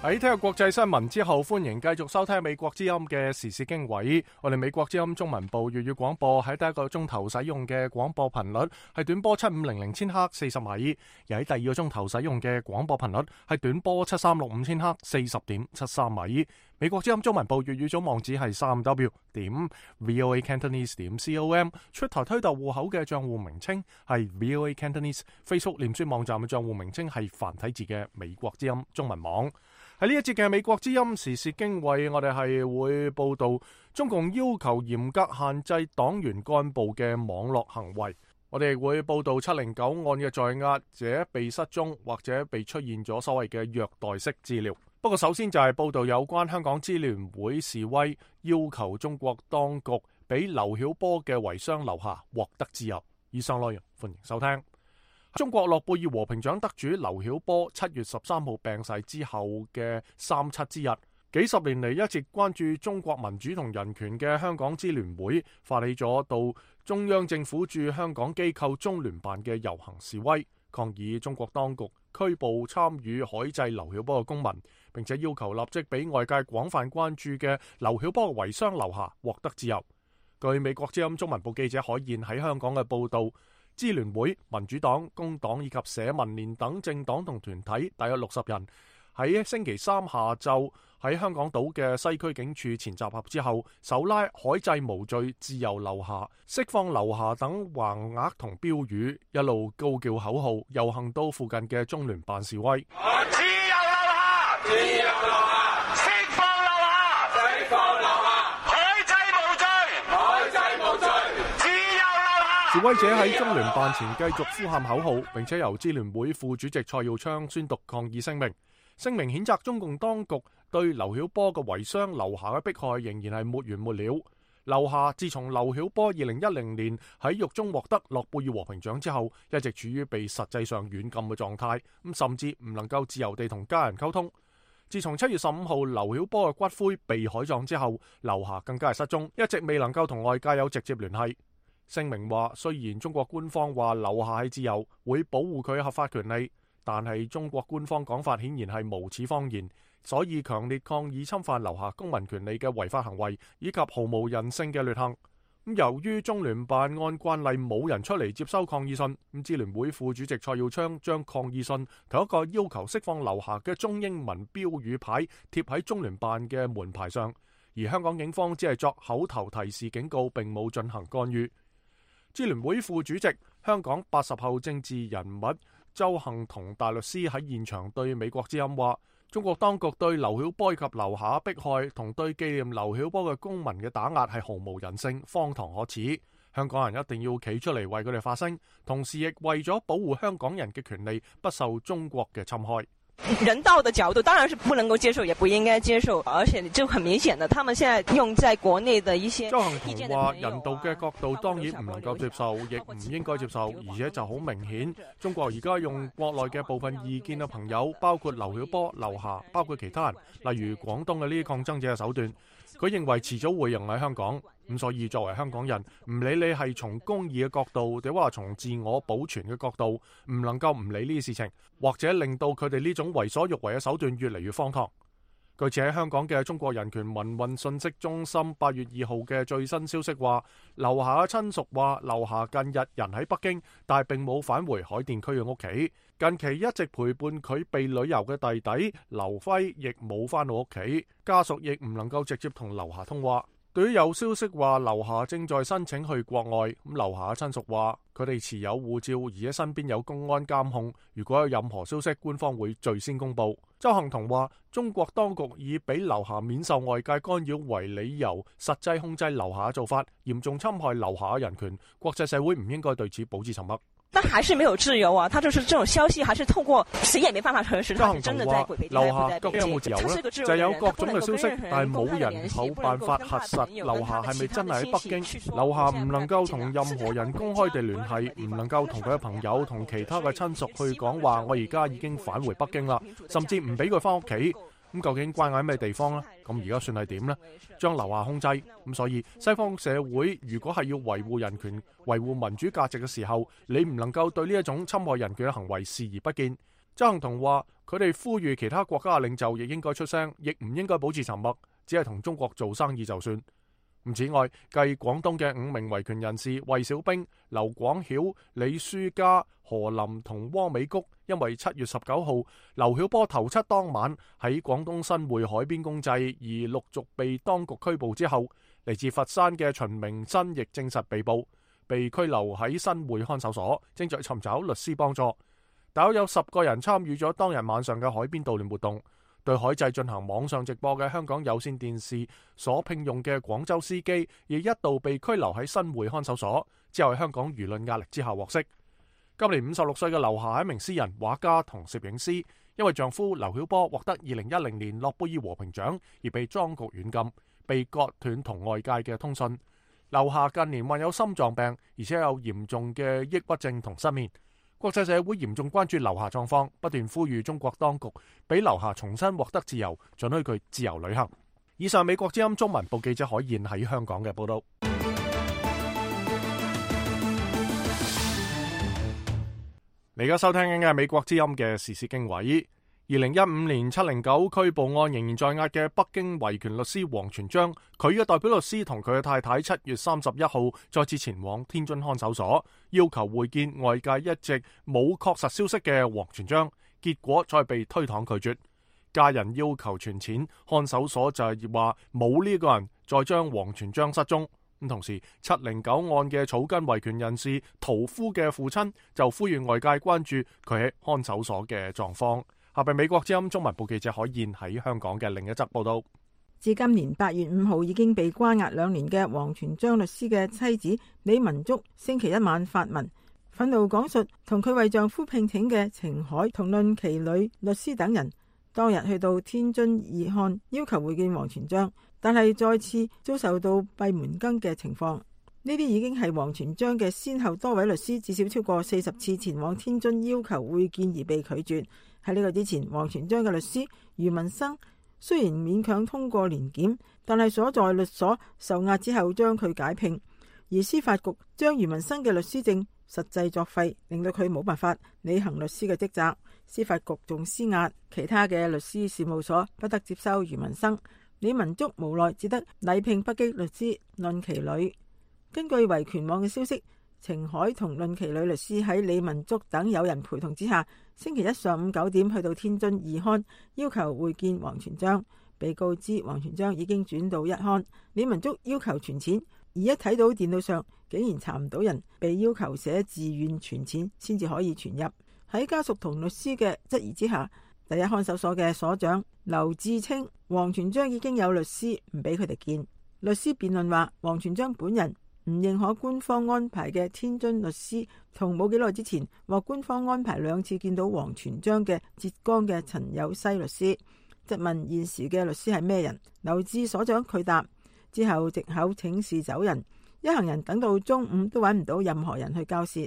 喺聽日國際新聞之後，歡迎繼續收聽美國之音嘅時事經緯。我哋美國之音中文部粵語廣播喺第一個鐘頭使用嘅廣播頻率係短波七五零零千赫四十米，而喺第二個鐘頭使用嘅廣播頻率係短波七三六五千赫四十點七三米。美國之音中文部粵語總網址係三 w 點 voa cantonese 點 com， 出台推特戶口嘅賬戶名稱係 voa cantonese， Facebook 臉書網站嘅賬戶名稱係繁體字嘅美國之音中文網。喺呢一節嘅美國之音時事經緯，我哋係會報道中共要求嚴格限制黨員幹部嘅網絡行為。我哋亦會報道七零九案嘅在押者被失蹤或者被出現咗所謂嘅虐待式治療。不過首先就係報道有關香港支聯會示威，要求中國當局俾劉曉波嘅遺孀劉霞獲得自由。以上內容歡迎收聽。中國諾貝爾和平獎得主劉曉波七月十三號病逝之後嘅三七之日，幾十年嚟一直關注中國民主同人權嘅香港支聯會發起咗到中央政府駐香港機構中聯辦嘅遊行示威，抗議中國當局拘捕參與海祭劉曉波嘅公民，並且要求立即俾外界廣泛關注嘅劉曉波嘅遺孀劉霞獲得自由。據美國之音中文部記者海燕喺香港嘅報道，支聯會、民主黨、工黨以及社民連等政黨同團體大約六十人喺星期三下晝喺香港島嘅西區警署前集合之後，手拉海祭無罪、自由劉霞、釋放劉霞等橫額同標語，一路高叫口號，遊行到附近嘅中聯辦示威。自由劉霞，自由劉霞，釋放劉霞，釋放劉霞，海祭無罪，海祭無罪，自由劉霞。示威者喺中聯辦前繼續呼喊口號，並且由支聯會副主席蔡耀昌宣讀抗議聲明。聲明譴責中共當局對劉曉波嘅遺孀劉霞嘅迫害仍然係沒完沒了。劉霞自從劉曉波二零一零年喺獄中獲得諾貝爾和平獎之後，一直處於被實際上軟禁嘅狀態，咁甚至唔能夠自由地同家人溝通。自從七月十五號劉曉波嘅骨灰被海葬之後，劉霞更加係失蹤，一直未能夠同外界有直接聯繫。聲明話，雖然中國官方話劉霞係自由，會保護佢合法權利，但係中國官方講法顯然係無恥謊言，所以強烈抗議侵犯劉霞公民權利嘅違法行為，以及毫無人性嘅劣行。咁由於中聯辦按慣例冇人出嚟接收抗議信，咁支聯會副主席蔡耀昌將抗議信同一個要求釋放劉霞嘅中英文標語牌貼喺中聯辦嘅門牌上，而香港警方只係作口頭提示警告，並冇進行干預。支聯會副主席、香港八十後政治人物周幸彤大律師喺現場對美國之音話，中國當局對劉曉波及劉霞迫害同對紀念劉曉波嘅公民嘅打壓係毫無人性、荒唐可恥。香港人一定要企出嚟為佢哋發聲，同時亦為咗保護香港人嘅權利不受中國嘅侵害。人道的角度當然是不能夠接受，也不應該接受，而且就很明顯的，他們現在用在國內的一些。周幸彤話：人道嘅角度當然唔能夠接受，亦唔應該接受，而且就好明顯，中國而家用國內嘅部分意見嘅朋友，包括劉曉波、劉霞，包括其他人，例如廣東嘅呢啲抗爭者嘅手段，佢認為遲早會用喺香港。咁所以作為香港人，唔理你係從公義嘅角度，定話從自我保存嘅角度，唔能夠唔理呢啲事情，或者令到佢哋呢種為所欲為嘅手段越嚟越荒唐。據此喺香港嘅中國人權民運信息中心八月二號嘅最新消息話，劉霞嘅親屬話，劉霞近日人喺北京，但係並冇返回海淀區嘅屋企。近期一直陪伴佢被旅遊嘅弟弟劉輝亦冇返到屋企，家屬亦唔能夠直接同劉霞通話。對於有消息話劉霞正在申請去國外，咁劉霞嘅親屬話佢哋持有護照，而且身邊有公安監控，如果有任何消息，官方會最先公佈。鄒幸彤話中國當局以俾劉霞免受外界干擾為理由，實際控制劉霞嘅做法，嚴重侵害劉霞嘅人權，國際社會唔應該對此保持沉默。但還是沒有自由啊！他就是這種消息，還是透過誰也沒辦法核實，他是真的在鬼北京，劉霞究竟有冇自由呢？就係有各種嘅消息，但係冇人有辦法核實劉霞係咪真係喺北京。劉霞唔能夠同任何人公開地聯繫，唔能夠同佢嘅朋友同其他嘅親屬去講話，我而家已經返回北京啦，甚至唔俾佢翻屋企。咁究竟關喺咩地方呢？咁而家算係點呢？將劉霞控制，咁所以西方社會如果係要維護人權、維護民主價值嘅時候，你唔能夠對呢一種侵害人權嘅行為視而不見。鄒幸彤話：佢哋呼籲其他國家嘅領袖亦應該出聲，亦唔應該保持沉默，只係同中國做生意就算。此外，繼廣東嘅五名維權人士魏小兵、劉廣曉、李書嘉、何林同汪美菊，因為七月十九號劉曉波頭七當晚喺廣東新會海邊公祭而陸續被當局拘捕之後，嚟自佛山嘅秦明真亦證實被捕，被拘留喺新會看守所，正在尋找律師幫助。大約有十個人參與咗當日晚上嘅海邊悼念活動。對海祭進行網上直播嘅香港有線電視所聘用嘅廣州司機，亦一度被拘留喺新會看守所，之後喺香港輿論壓力之下獲釋。今年五十六歲嘅劉霞係一名詩人、畫家同攝影師，因為丈夫劉曉波獲得二零一零年諾貝爾和平獎而被當局軟禁，被割斷同外界嘅通訊。劉霞近年患有心臟病，而且有嚴重嘅抑鬱症同失眠。國際社會嚴重關注劉霞狀況，不斷呼籲中國當局俾劉霞重新獲得自由，准許佢自由旅行。以上美國之音中文部記者海燕喺香港嘅報道。你而家收聽緊嘅係美國之音嘅時事經緯。二零一五年七零九拘捕案仍然在押嘅北京維權律師王全璋，佢嘅代表律師同佢嘅太太七月三十一號再次前往天津看守所，要求會見外界一直冇確實消息嘅王全璋，結果再被推搪拒絕。家人要求存錢，看守所就係話冇呢個人，再將王全璋失蹤。咁同時，七零九案嘅草根維權人士屠夫嘅父親就呼籲外界關注佢喺看守所嘅狀況。下邊美國之音中文部記者海燕喺香港嘅另一則報道。至今年八月五號已經被關押兩年嘅王全璋律師嘅妻子李文竹，星期一晚發文，憤怒講述同佢為丈夫聘請嘅程海同論其女律師等人當日去到天津義漢要求會見王全璋，但係再次遭受到閉門羹嘅情況。呢啲已經係王全璋嘅先後多位律師至少超過四十次前往天津要求會見而被拒絕。喺呢個之前，王全璋嘅律師余文生雖然勉強通過年檢，但係所在律所受壓之後將佢解聘，而司法局將余文生嘅律師證實際作廢，令到佢冇辦法履行律師嘅職責。司法局仲施壓，其他嘅律師事務所不得接收余文生，李文竹無奈只得禮聘北京律師論其女。根據維權網嘅消息，程海同論其女律師喺李文竹等友人陪同之下，星期一上午九點去到天津二刊，要求會見王全璋。被告知王全璋已經轉到一刊，李文竹要求存錢，而一睇到電腦上竟然查唔到人，被要求寫自願存錢先至可以存入。喺家屬同律師嘅質疑之下，第一看守所嘅所長劉志清，王全璋已經有律師，唔俾佢哋見。律師辯論話，王全璋本人唔認可官方安排嘅天津律師，同冇幾耐之前獲官方安排兩次見到王全璋嘅浙江嘅陳有西律師。質問現時嘅律師係咩人，劉志所長拒答，之後藉口請示走人，一行人等到中午都揾唔到任何人去交涉。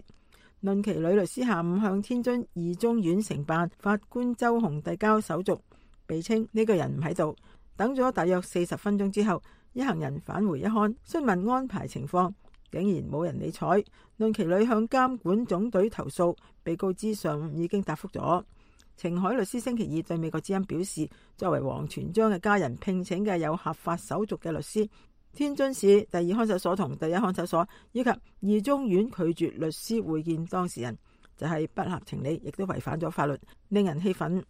論其女律師下午向天津二中院承辦法官周紅遞交手續，被稱呢個人唔喺度。等咗大約四十分鐘之後，一行人返回一刊，詢問安排情況，竟然冇人理睬。論其女向監管總隊投訴，被告知上午已經答覆咗。程海律師星期二對美國之音表示，作為王全璋嘅家人聘請嘅有合法手續嘅律師，天津市第二看守所同第一看守所以及二中院拒絕律師會見當事人，就係不合情理，亦都違反咗法律，令人氣憤。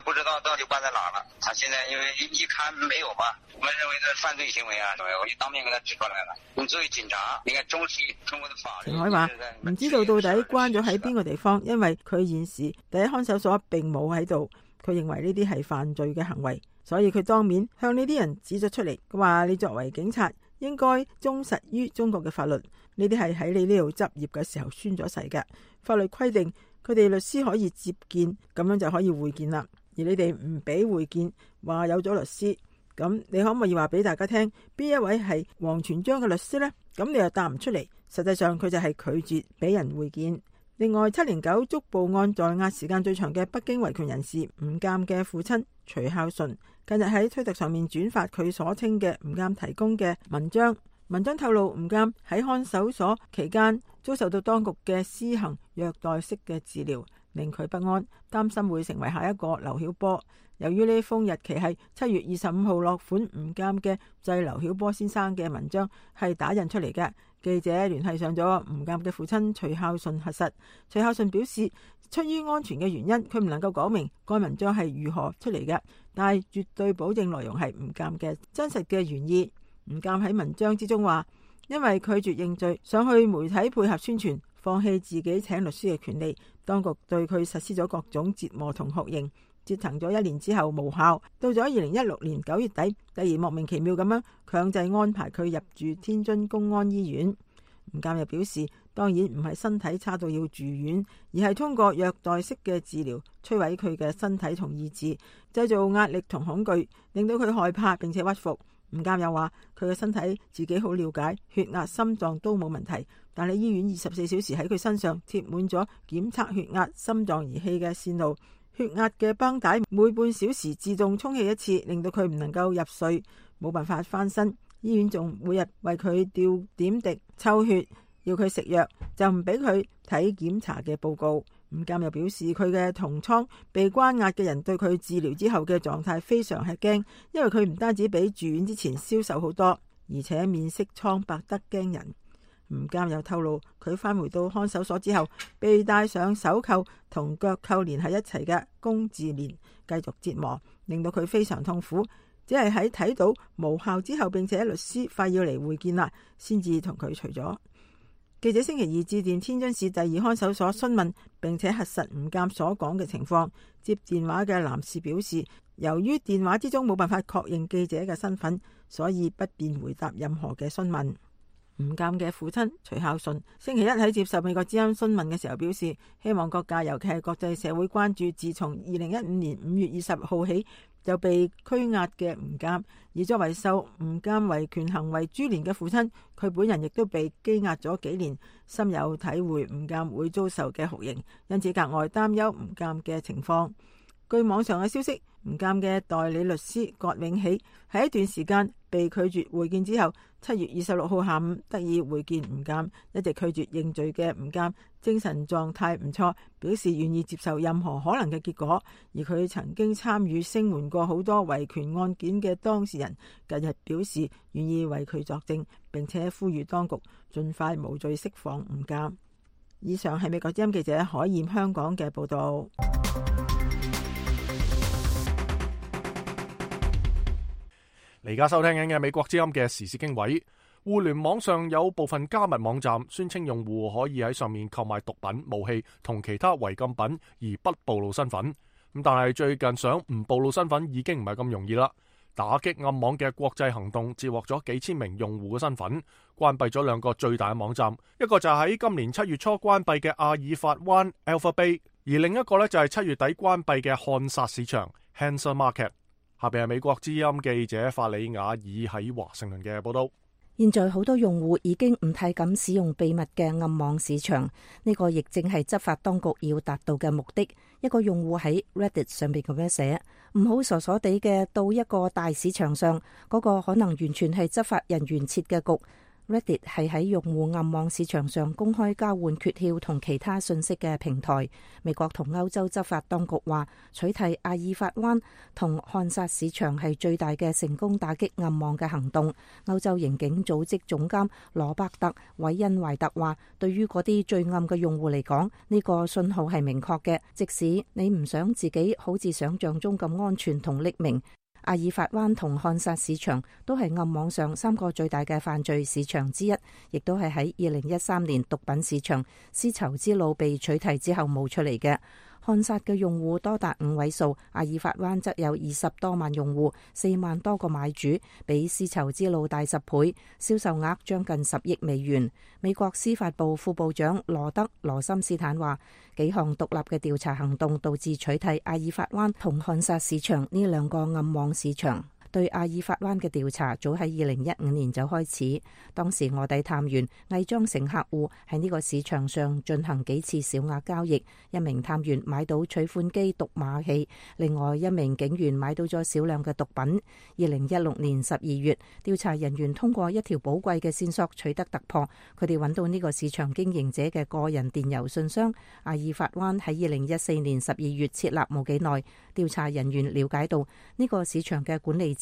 不知道到底關在哪了。他現在因為一看沒有嘛，我們認為這犯罪行為啊，我就當面給他指出來了。你作為警察，應該重視中國的法律。程海話唔知道到底關咗喺邊個地方，因為佢現時第一看守所並冇喺度。佢認為呢啲係犯罪嘅行為，所以佢當面向呢啲人指咗出嚟。佢話你作為警察，應該忠實於中國嘅法律。呢啲係喺你呢度執業嘅時候宣咗誓嘅。法律規定佢哋律師可以接見，咁樣就可以會見啦。而你哋唔俾會見，話有咗律師，咁你可唔可以話俾大家聽邊一位係王全璋嘅律師呢？咁你又答唔出嚟，實際上佢就係拒絕俾人會見。另外，七年九捉捕案在押時間最長嘅北京維權人士吳鑑嘅父親徐孝順，近日喺推特上面轉發佢所稱嘅吳鑑提供嘅文章。文章透露，吳鑑喺看守所期間遭受到當局嘅施行虐待式嘅治療，令佢不安，擔心會成為下一個劉曉波。由於呢封日期係七月二十五號落款吳鑑嘅致劉曉波先生嘅文章係打印出嚟嘅，記者聯繫上咗吳鑑嘅父親徐孝順核實。徐孝順表示，出於安全嘅原因，佢唔能夠講明該文章係如何出嚟嘅，但係絕對保證內容係吳鑑嘅真實嘅原意。吳鑑喺文章之中話，因為拒絕認罪，想去媒體配合宣傳，放棄自己請律師嘅權利，當局對佢實施咗各種折磨同酷刑，折騰咗一年之後無效，到咗二零一六年九月底，突然莫名其妙咁樣強制安排佢入住天津公安醫院。吳鑑又表示，當然唔係身體差到要住院，而係通過虐待式嘅治療摧毀佢嘅身體同意志，製造壓力同恐懼，令到佢害怕並且屈服。吳鑑又話，佢嘅身體自己好了解，血壓、心臟都冇問題，但係醫院二十四小時喺佢身上貼滿咗檢測血壓、心臟儀器嘅線路，血壓嘅繃帶每半小時自動充氣一次，令到佢唔能夠入睡，冇辦法翻身。醫院仲每日為佢吊點滴、抽血，要佢食藥，就唔俾佢睇檢查嘅報告。吳鑑又表示，佢嘅同倉被關押嘅人對佢治療之後嘅狀態非常吃驚，因為佢唔單止比住院之前消瘦好多，而且面色蒼白得驚人。吳鑑又透露，佢返回到看守所之後，被戴上手扣同腳扣連喺一齊嘅工字鏈繼續折磨，令到佢非常痛苦。只係喺睇到無效之後，並且律師快要嚟會見啦，先至同佢除咗。記者星期二致電天津市第二看守所詢問，並且核實吳鑑所講嘅情況。接電話嘅男士表示，由於電話之中冇辦法確認記者嘅身份，所以不便回答任何嘅詢問。吳鑑嘅父親徐孝順星期一喺接受美國之音詢問嘅時候表示，希望各界尤其係國際社會關注自從二零一五年五月二十號起就被拘押嘅吳鑑，而作為受吳鑑維權行為株連嘅父親，佢本人亦都被羈押咗幾年，深有體會吳鑑會遭受嘅酷刑，因此格外擔憂吳鑑嘅情況。據網上嘅消息，吳鑑嘅代理律師葛永喜喺一段時間被拒絕會見之後，七月二十六號下午得以會見吳鑑。一直拒絕認罪嘅吳鑑精神狀態唔錯，表示願意接受任何可能嘅結果。而佢曾經參與聲援過好多維權案件嘅當事人，近日表示願意為佢作證，並且呼籲當局盡快無罪釋放吳鑑。以上係美國之音記者海燕香港嘅報道。而家收聽緊嘅美國之音嘅時事經緯，互聯網上有部分加密網站宣稱用戶可以喺上面購買毒品、武器同其他違禁品而不暴露身份。咁但係最近想唔暴露身份已經唔係咁容易啦。打擊暗網嘅國際行動截獲咗幾千名用戶嘅身份，關閉咗兩個最大嘅網站，一個就係喺今年七月初關閉嘅阿爾法灣 Alpha Bay， 而另一個呢就係七月底關閉嘅漢薩市場 Hansa Market。下邊係美國之音記者法里亞爾喺華盛頓嘅報道。現在好多用戶已經唔太敢使用秘密嘅暗網市場，呢個亦正係執法當局要達到嘅目的。一個用戶喺 Reddit 上邊咁樣寫：唔好傻傻地嘅到一個大市場上，嗰個可能完全係執法人員設嘅局。Reddit 係喺用戶暗網市場上公開交換訣竅同其他信息嘅平台。美國同歐洲執法當局話，取締阿爾法灣同漢薩市場係最大嘅成功打擊暗網嘅行動。歐洲刑警組織總監羅伯特·韋恩懷特話，對於嗰啲最暗嘅用戶嚟講，呢個信號係明確嘅，即使你唔想自己好似想象中咁安全同匿名。阿爾法灣同漢薩市場都係暗網上三個最大嘅犯罪市場之一，亦都係喺二零一三年毒品市場絲綢之路被取締之後冒出嚟嘅。漢薩嘅用戶多達五位數，阿爾法灣則有二十多萬用戶，四萬多個買主，比絲綢之路大十倍，銷售額將近十億美元。美國司法部副部長羅德羅森斯坦話，幾項獨立嘅調查行動導致取締阿爾法灣同漢薩市場呢兩個暗網市場。對阿爾法灣嘅調查早喺二零一五年就開始，當時臥底探員偽裝成客戶喺呢個市場上進行幾次小額交易，一名探員買到取款機讀碼器，另外一名警員買到咗少量嘅毒品。二零一六年十二月，調查人員通過一條寶貴嘅線索取得突破，佢哋揾到呢個市場經營者嘅個人電郵信箱。阿爾法灣喺二零一四年十二月設立冇幾耐，調查人員了解到呢個市場嘅管理者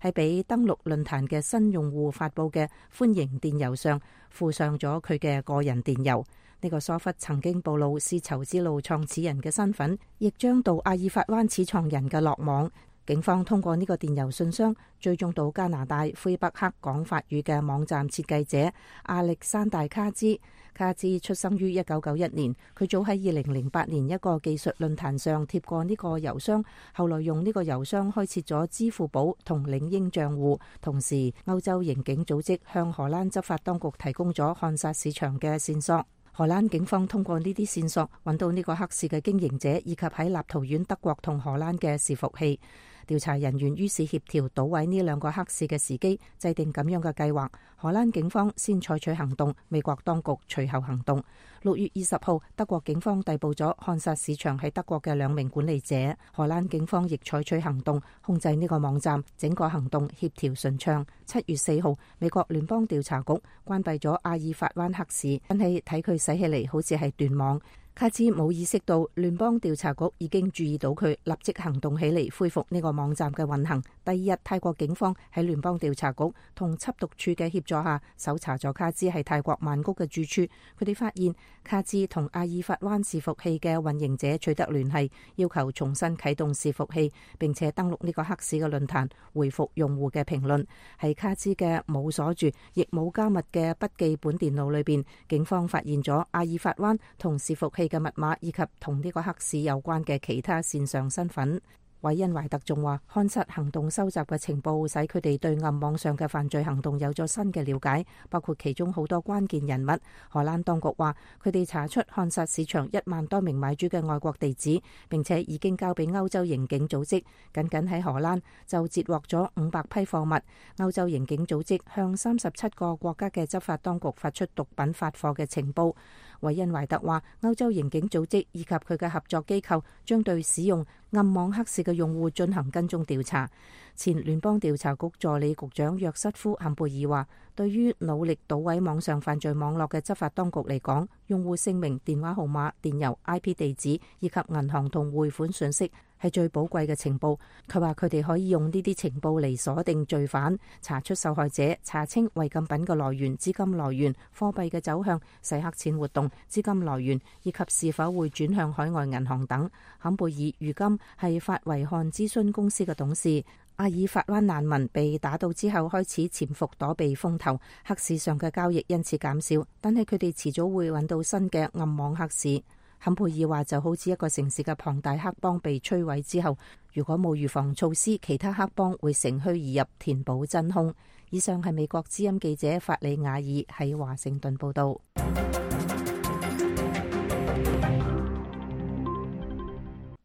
係俾登錄論壇嘅新用戶發佈嘅歡迎電郵上附上咗佢嘅個人電郵。呢個疏忽曾經暴露絲綢之路創始人嘅身份，亦將到阿爾法灣始創人嘅落網。警方通過呢個電郵信箱追蹤到加拿大魁北克講法語嘅網站設計者亞歷山大卡茲。卡茲出生於一九九一年，佢早喺二零零八年一個技術論壇上貼過呢個郵箱，後來用呢個郵箱開設咗支付寶同領英賬戶。同時，歐洲刑警組織向荷蘭執法當局提供咗漢薩市場嘅線索。荷蘭警方通過呢啲線索揾到呢個黑市嘅經營者，以及喺立陶宛、德國同荷蘭嘅伺服器。調查人員於是協調搗毀呢兩個黑市嘅時機，制定咁樣嘅計劃。荷蘭警方先採取行動，美國當局隨後行動。六月二十號，德國警方逮捕咗漢薩市場喺德國嘅兩名管理者。荷蘭警方亦採取行動，控制呢個網站，整個行動協調順暢。七月四號，美國聯邦調查局關閉咗阿爾法灣黑市，但係睇佢使起嚟好似係斷網。卡茲冇意識到聯邦調查局已經注意到佢，立即行動起嚟恢復呢個網站嘅運行。第二日，泰國警方喺聯邦調查局同緝毒處嘅協助下，搜查咗卡茲喺泰國曼谷嘅住處。佢哋發現卡茲同阿爾法灣伺服器嘅運營者取得聯繫，要求重新啟動伺服器，並且登錄呢個黑市嘅論壇，回復用戶嘅評論。喺卡茲嘅冇鎖住亦冇加密嘅筆記本電腦裏邊，警方發現咗阿爾法灣同伺服器嘅密碼以及同呢個黑市有關嘅其他線上身份。韋恩懷特仲話，漢薩行動收集嘅情報使佢哋對暗網上嘅犯罪行動有咗新嘅了解，包括其中好多關鍵人物。荷蘭當局話，佢哋查出漢薩市場一萬多名買主嘅外國地址，並且已經交俾歐洲刑警組織。僅僅喺荷蘭就截獲咗五百批貨物。歐洲刑警組織向三十七個國家嘅執法當局發出毒品發貨嘅情報。韋恩懷特話，歐洲刑警組織以及佢嘅合作機構將對使用暗網黑市嘅用戶進行跟蹤調查。前聯邦調查局助理局長約瑟夫·坎貝爾話，對於努力搗毀網上犯罪網絡嘅執法當局嚟講，用戶姓名、電話號碼、電郵、I P 地址以及銀行同匯款信息係最寶貴嘅情報。佢話佢哋可以用呢啲情報嚟鎖定罪犯，查出受害者，查清違禁品嘅來源、資金來源、貨幣嘅走向、洗黑錢活動、資金來源以及是否會轉向海外銀行等。坎貝爾如今係法維漢諮詢公司嘅董事。阿爾法灣難民被打倒之後開始潛伏躲避風頭，黑市上嘅交易因此減少，但係佢哋遲早會揾到新嘅暗網黑市。坎貝爾話，就好似一個城市嘅龐大黑幫被摧毀之後，如果冇預防措施，其他黑幫會乘虛而入，填補真空。以上係美國之音記者法里亞爾喺華盛頓報道。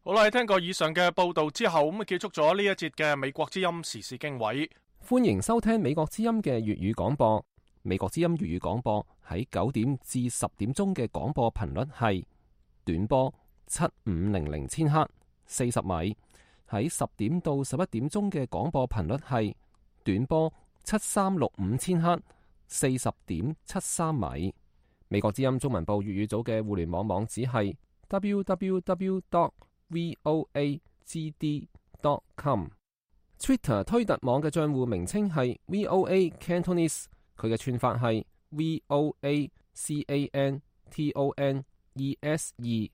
好啦，聽過以上嘅報道之後，咁啊結束咗呢一節嘅美國之音時事經緯。歡迎收聽美國之音嘅粵語廣播。美國之音粵語廣播喺九點至十點鐘嘅廣播頻率係短波七五零零千赫四十米，喺十點到十一點鐘嘅廣播頻率係短波七三六五千赫四十點七三米。美國之音中文部粵語組嘅互聯網網址係 double-u double-u double-u dot voa g d dot com。Twitter 推特網嘅賬戶名稱係 V O A Cantonese， 佢嘅串法係 V O A C A N T O N E S E。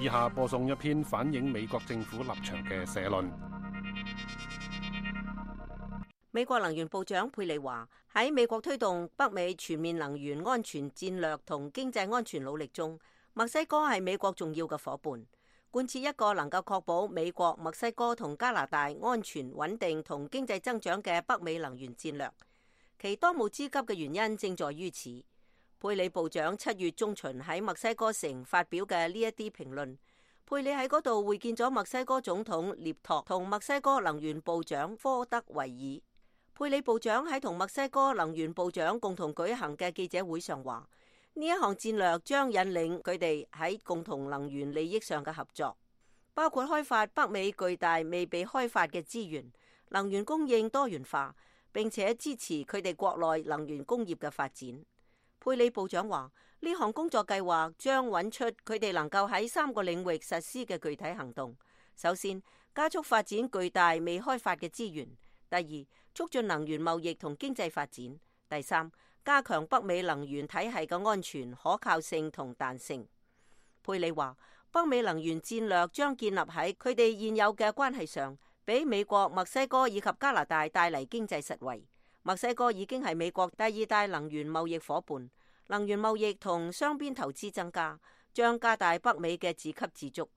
以下播送一篇反映美國政府立場嘅社論。美國能源部長佩里話：喺美國推動北美全面能源安全戰略同經濟安全努力中，墨西哥係美國重要嘅夥伴。貫徹一個能夠確保美國、墨西哥同加拿大安全穩定同經濟增長嘅北美能源戰略，其當務之急嘅原因正在於此。佩里部長七月中旬喺墨西哥城發表嘅呢一啲評論，佩里喺嗰度會見咗墨西哥總統涅托同墨西哥能源部長科德維爾。佩里部長喺同墨西哥能源部長共同舉行嘅記者會上話，呢一項戰略將引領佢哋喺共同能源利益上嘅合作，包括開發北美巨大未被開發嘅資源、能源供應多元化，並且支持佢哋國內能源工業嘅發展。佩里部長話，呢項工作計劃將揾出佢哋能夠喺三個領域實施嘅具體行動。首先，加速發展巨大未開發嘅資源；第二，促進能源貿易同經濟發展；第三，加強北美能源體系嘅安全、可靠性同彈性。佩里話，北美能源戰略將建立喺佢哋現有嘅關係上，俾美國、墨西哥以及加拿大帶嚟經濟實惠。墨西哥已經係美國第二大能源貿易夥伴，能源貿易同雙邊投資增加，將加大北美嘅自給自足，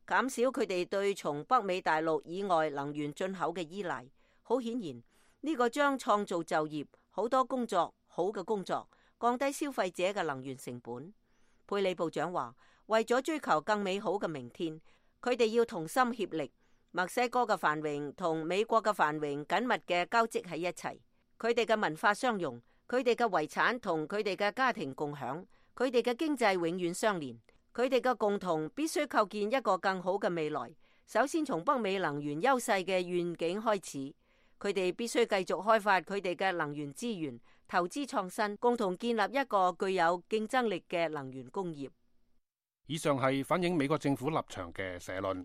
減少佢哋對從北美大陸以外能源進口嘅依賴。好顯然，呢個將創造就業、好多工作、好嘅工作，降低消費者嘅能源成本。佩里部長話，為咗追求更美好嘅明天，佢哋要同心協力。墨西哥嘅繁榮同美國嘅繁榮緊密嘅交織喺一齊。佢哋嘅文化相融，佢哋嘅遺產同佢哋嘅家庭共享，佢哋嘅經濟永遠相連，佢哋嘅共同必須構建一個更好嘅未來。首先從北美能源優勢嘅願景開始，佢哋必須繼續開發佢哋嘅能源資源，投資創新，共同建立一個具有競爭力嘅能源工業。以上係反映美國政府立場嘅社論。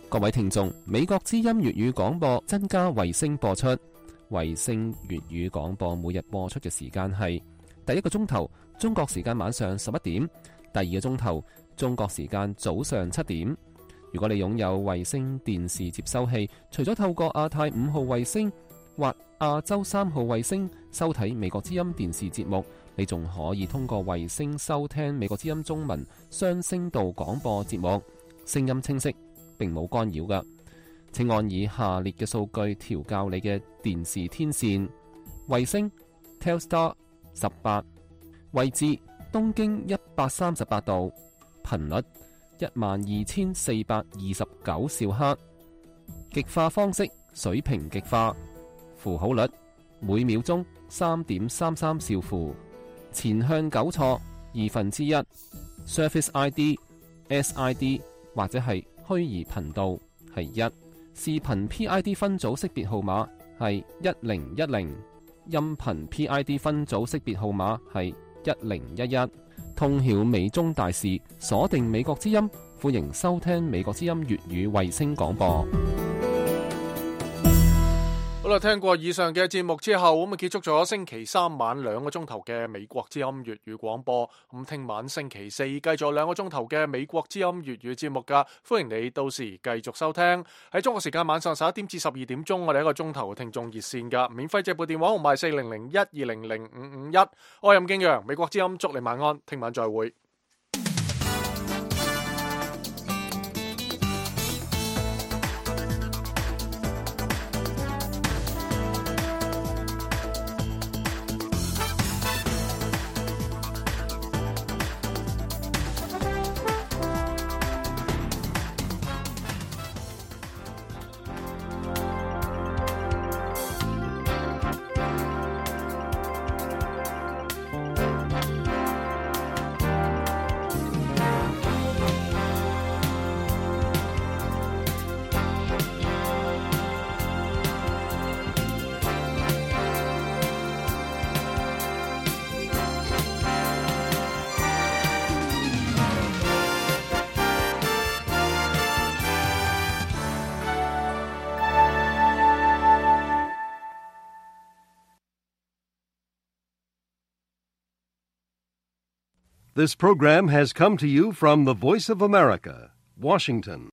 各位聽眾，美國之音粵語廣播增加衛星播出。衛星粵語廣播每日播出嘅時間係第一個鐘頭中國時間晚上十一點，第二個鐘頭中國時間早上七點。如果你擁有衛星電視接收器，除咗透過亞太五號衛星或亞洲三號衛星收睇美國之音電視節目，你仲可以通過衛星收聽美國之音中文雙聲道廣播節目，聲音清晰，並冇干擾㗎。請按以下列嘅數據調校你嘅電視天線：衛星 Telstar 十八，位置東經一百三十八度，頻率一萬二千四百二十九兆赫，極化方式水平極化，符號率每秒鐘三點三三兆符，前向糾錯二分之一 ，Service I D S I D 或者係虛擬頻道係一，視頻 P I D 分組識別號碼係一零一零，音頻 P I D 分組識別號碼係一零一一。通曉美中大事，鎖定美國之音，歡迎收聽美國之音粵語衛星廣播。好啦，聽過以上嘅節目之後，咁啊結束咗星期三晚兩個鐘頭嘅美國之音粵語廣播。咁聽晚星期四繼續兩個鐘頭嘅美國之音粵語節目噶，歡迎你到時繼續收聽。喺中國時間晚上十一點至十二點鐘，我哋一個鐘頭聽眾熱線噶，免費借撥電話號碼四零零一二零零五五一。我係任敬陽，美國之音祝你晚安，聽晚再會。This program has come to you from the Voice of America, Washington.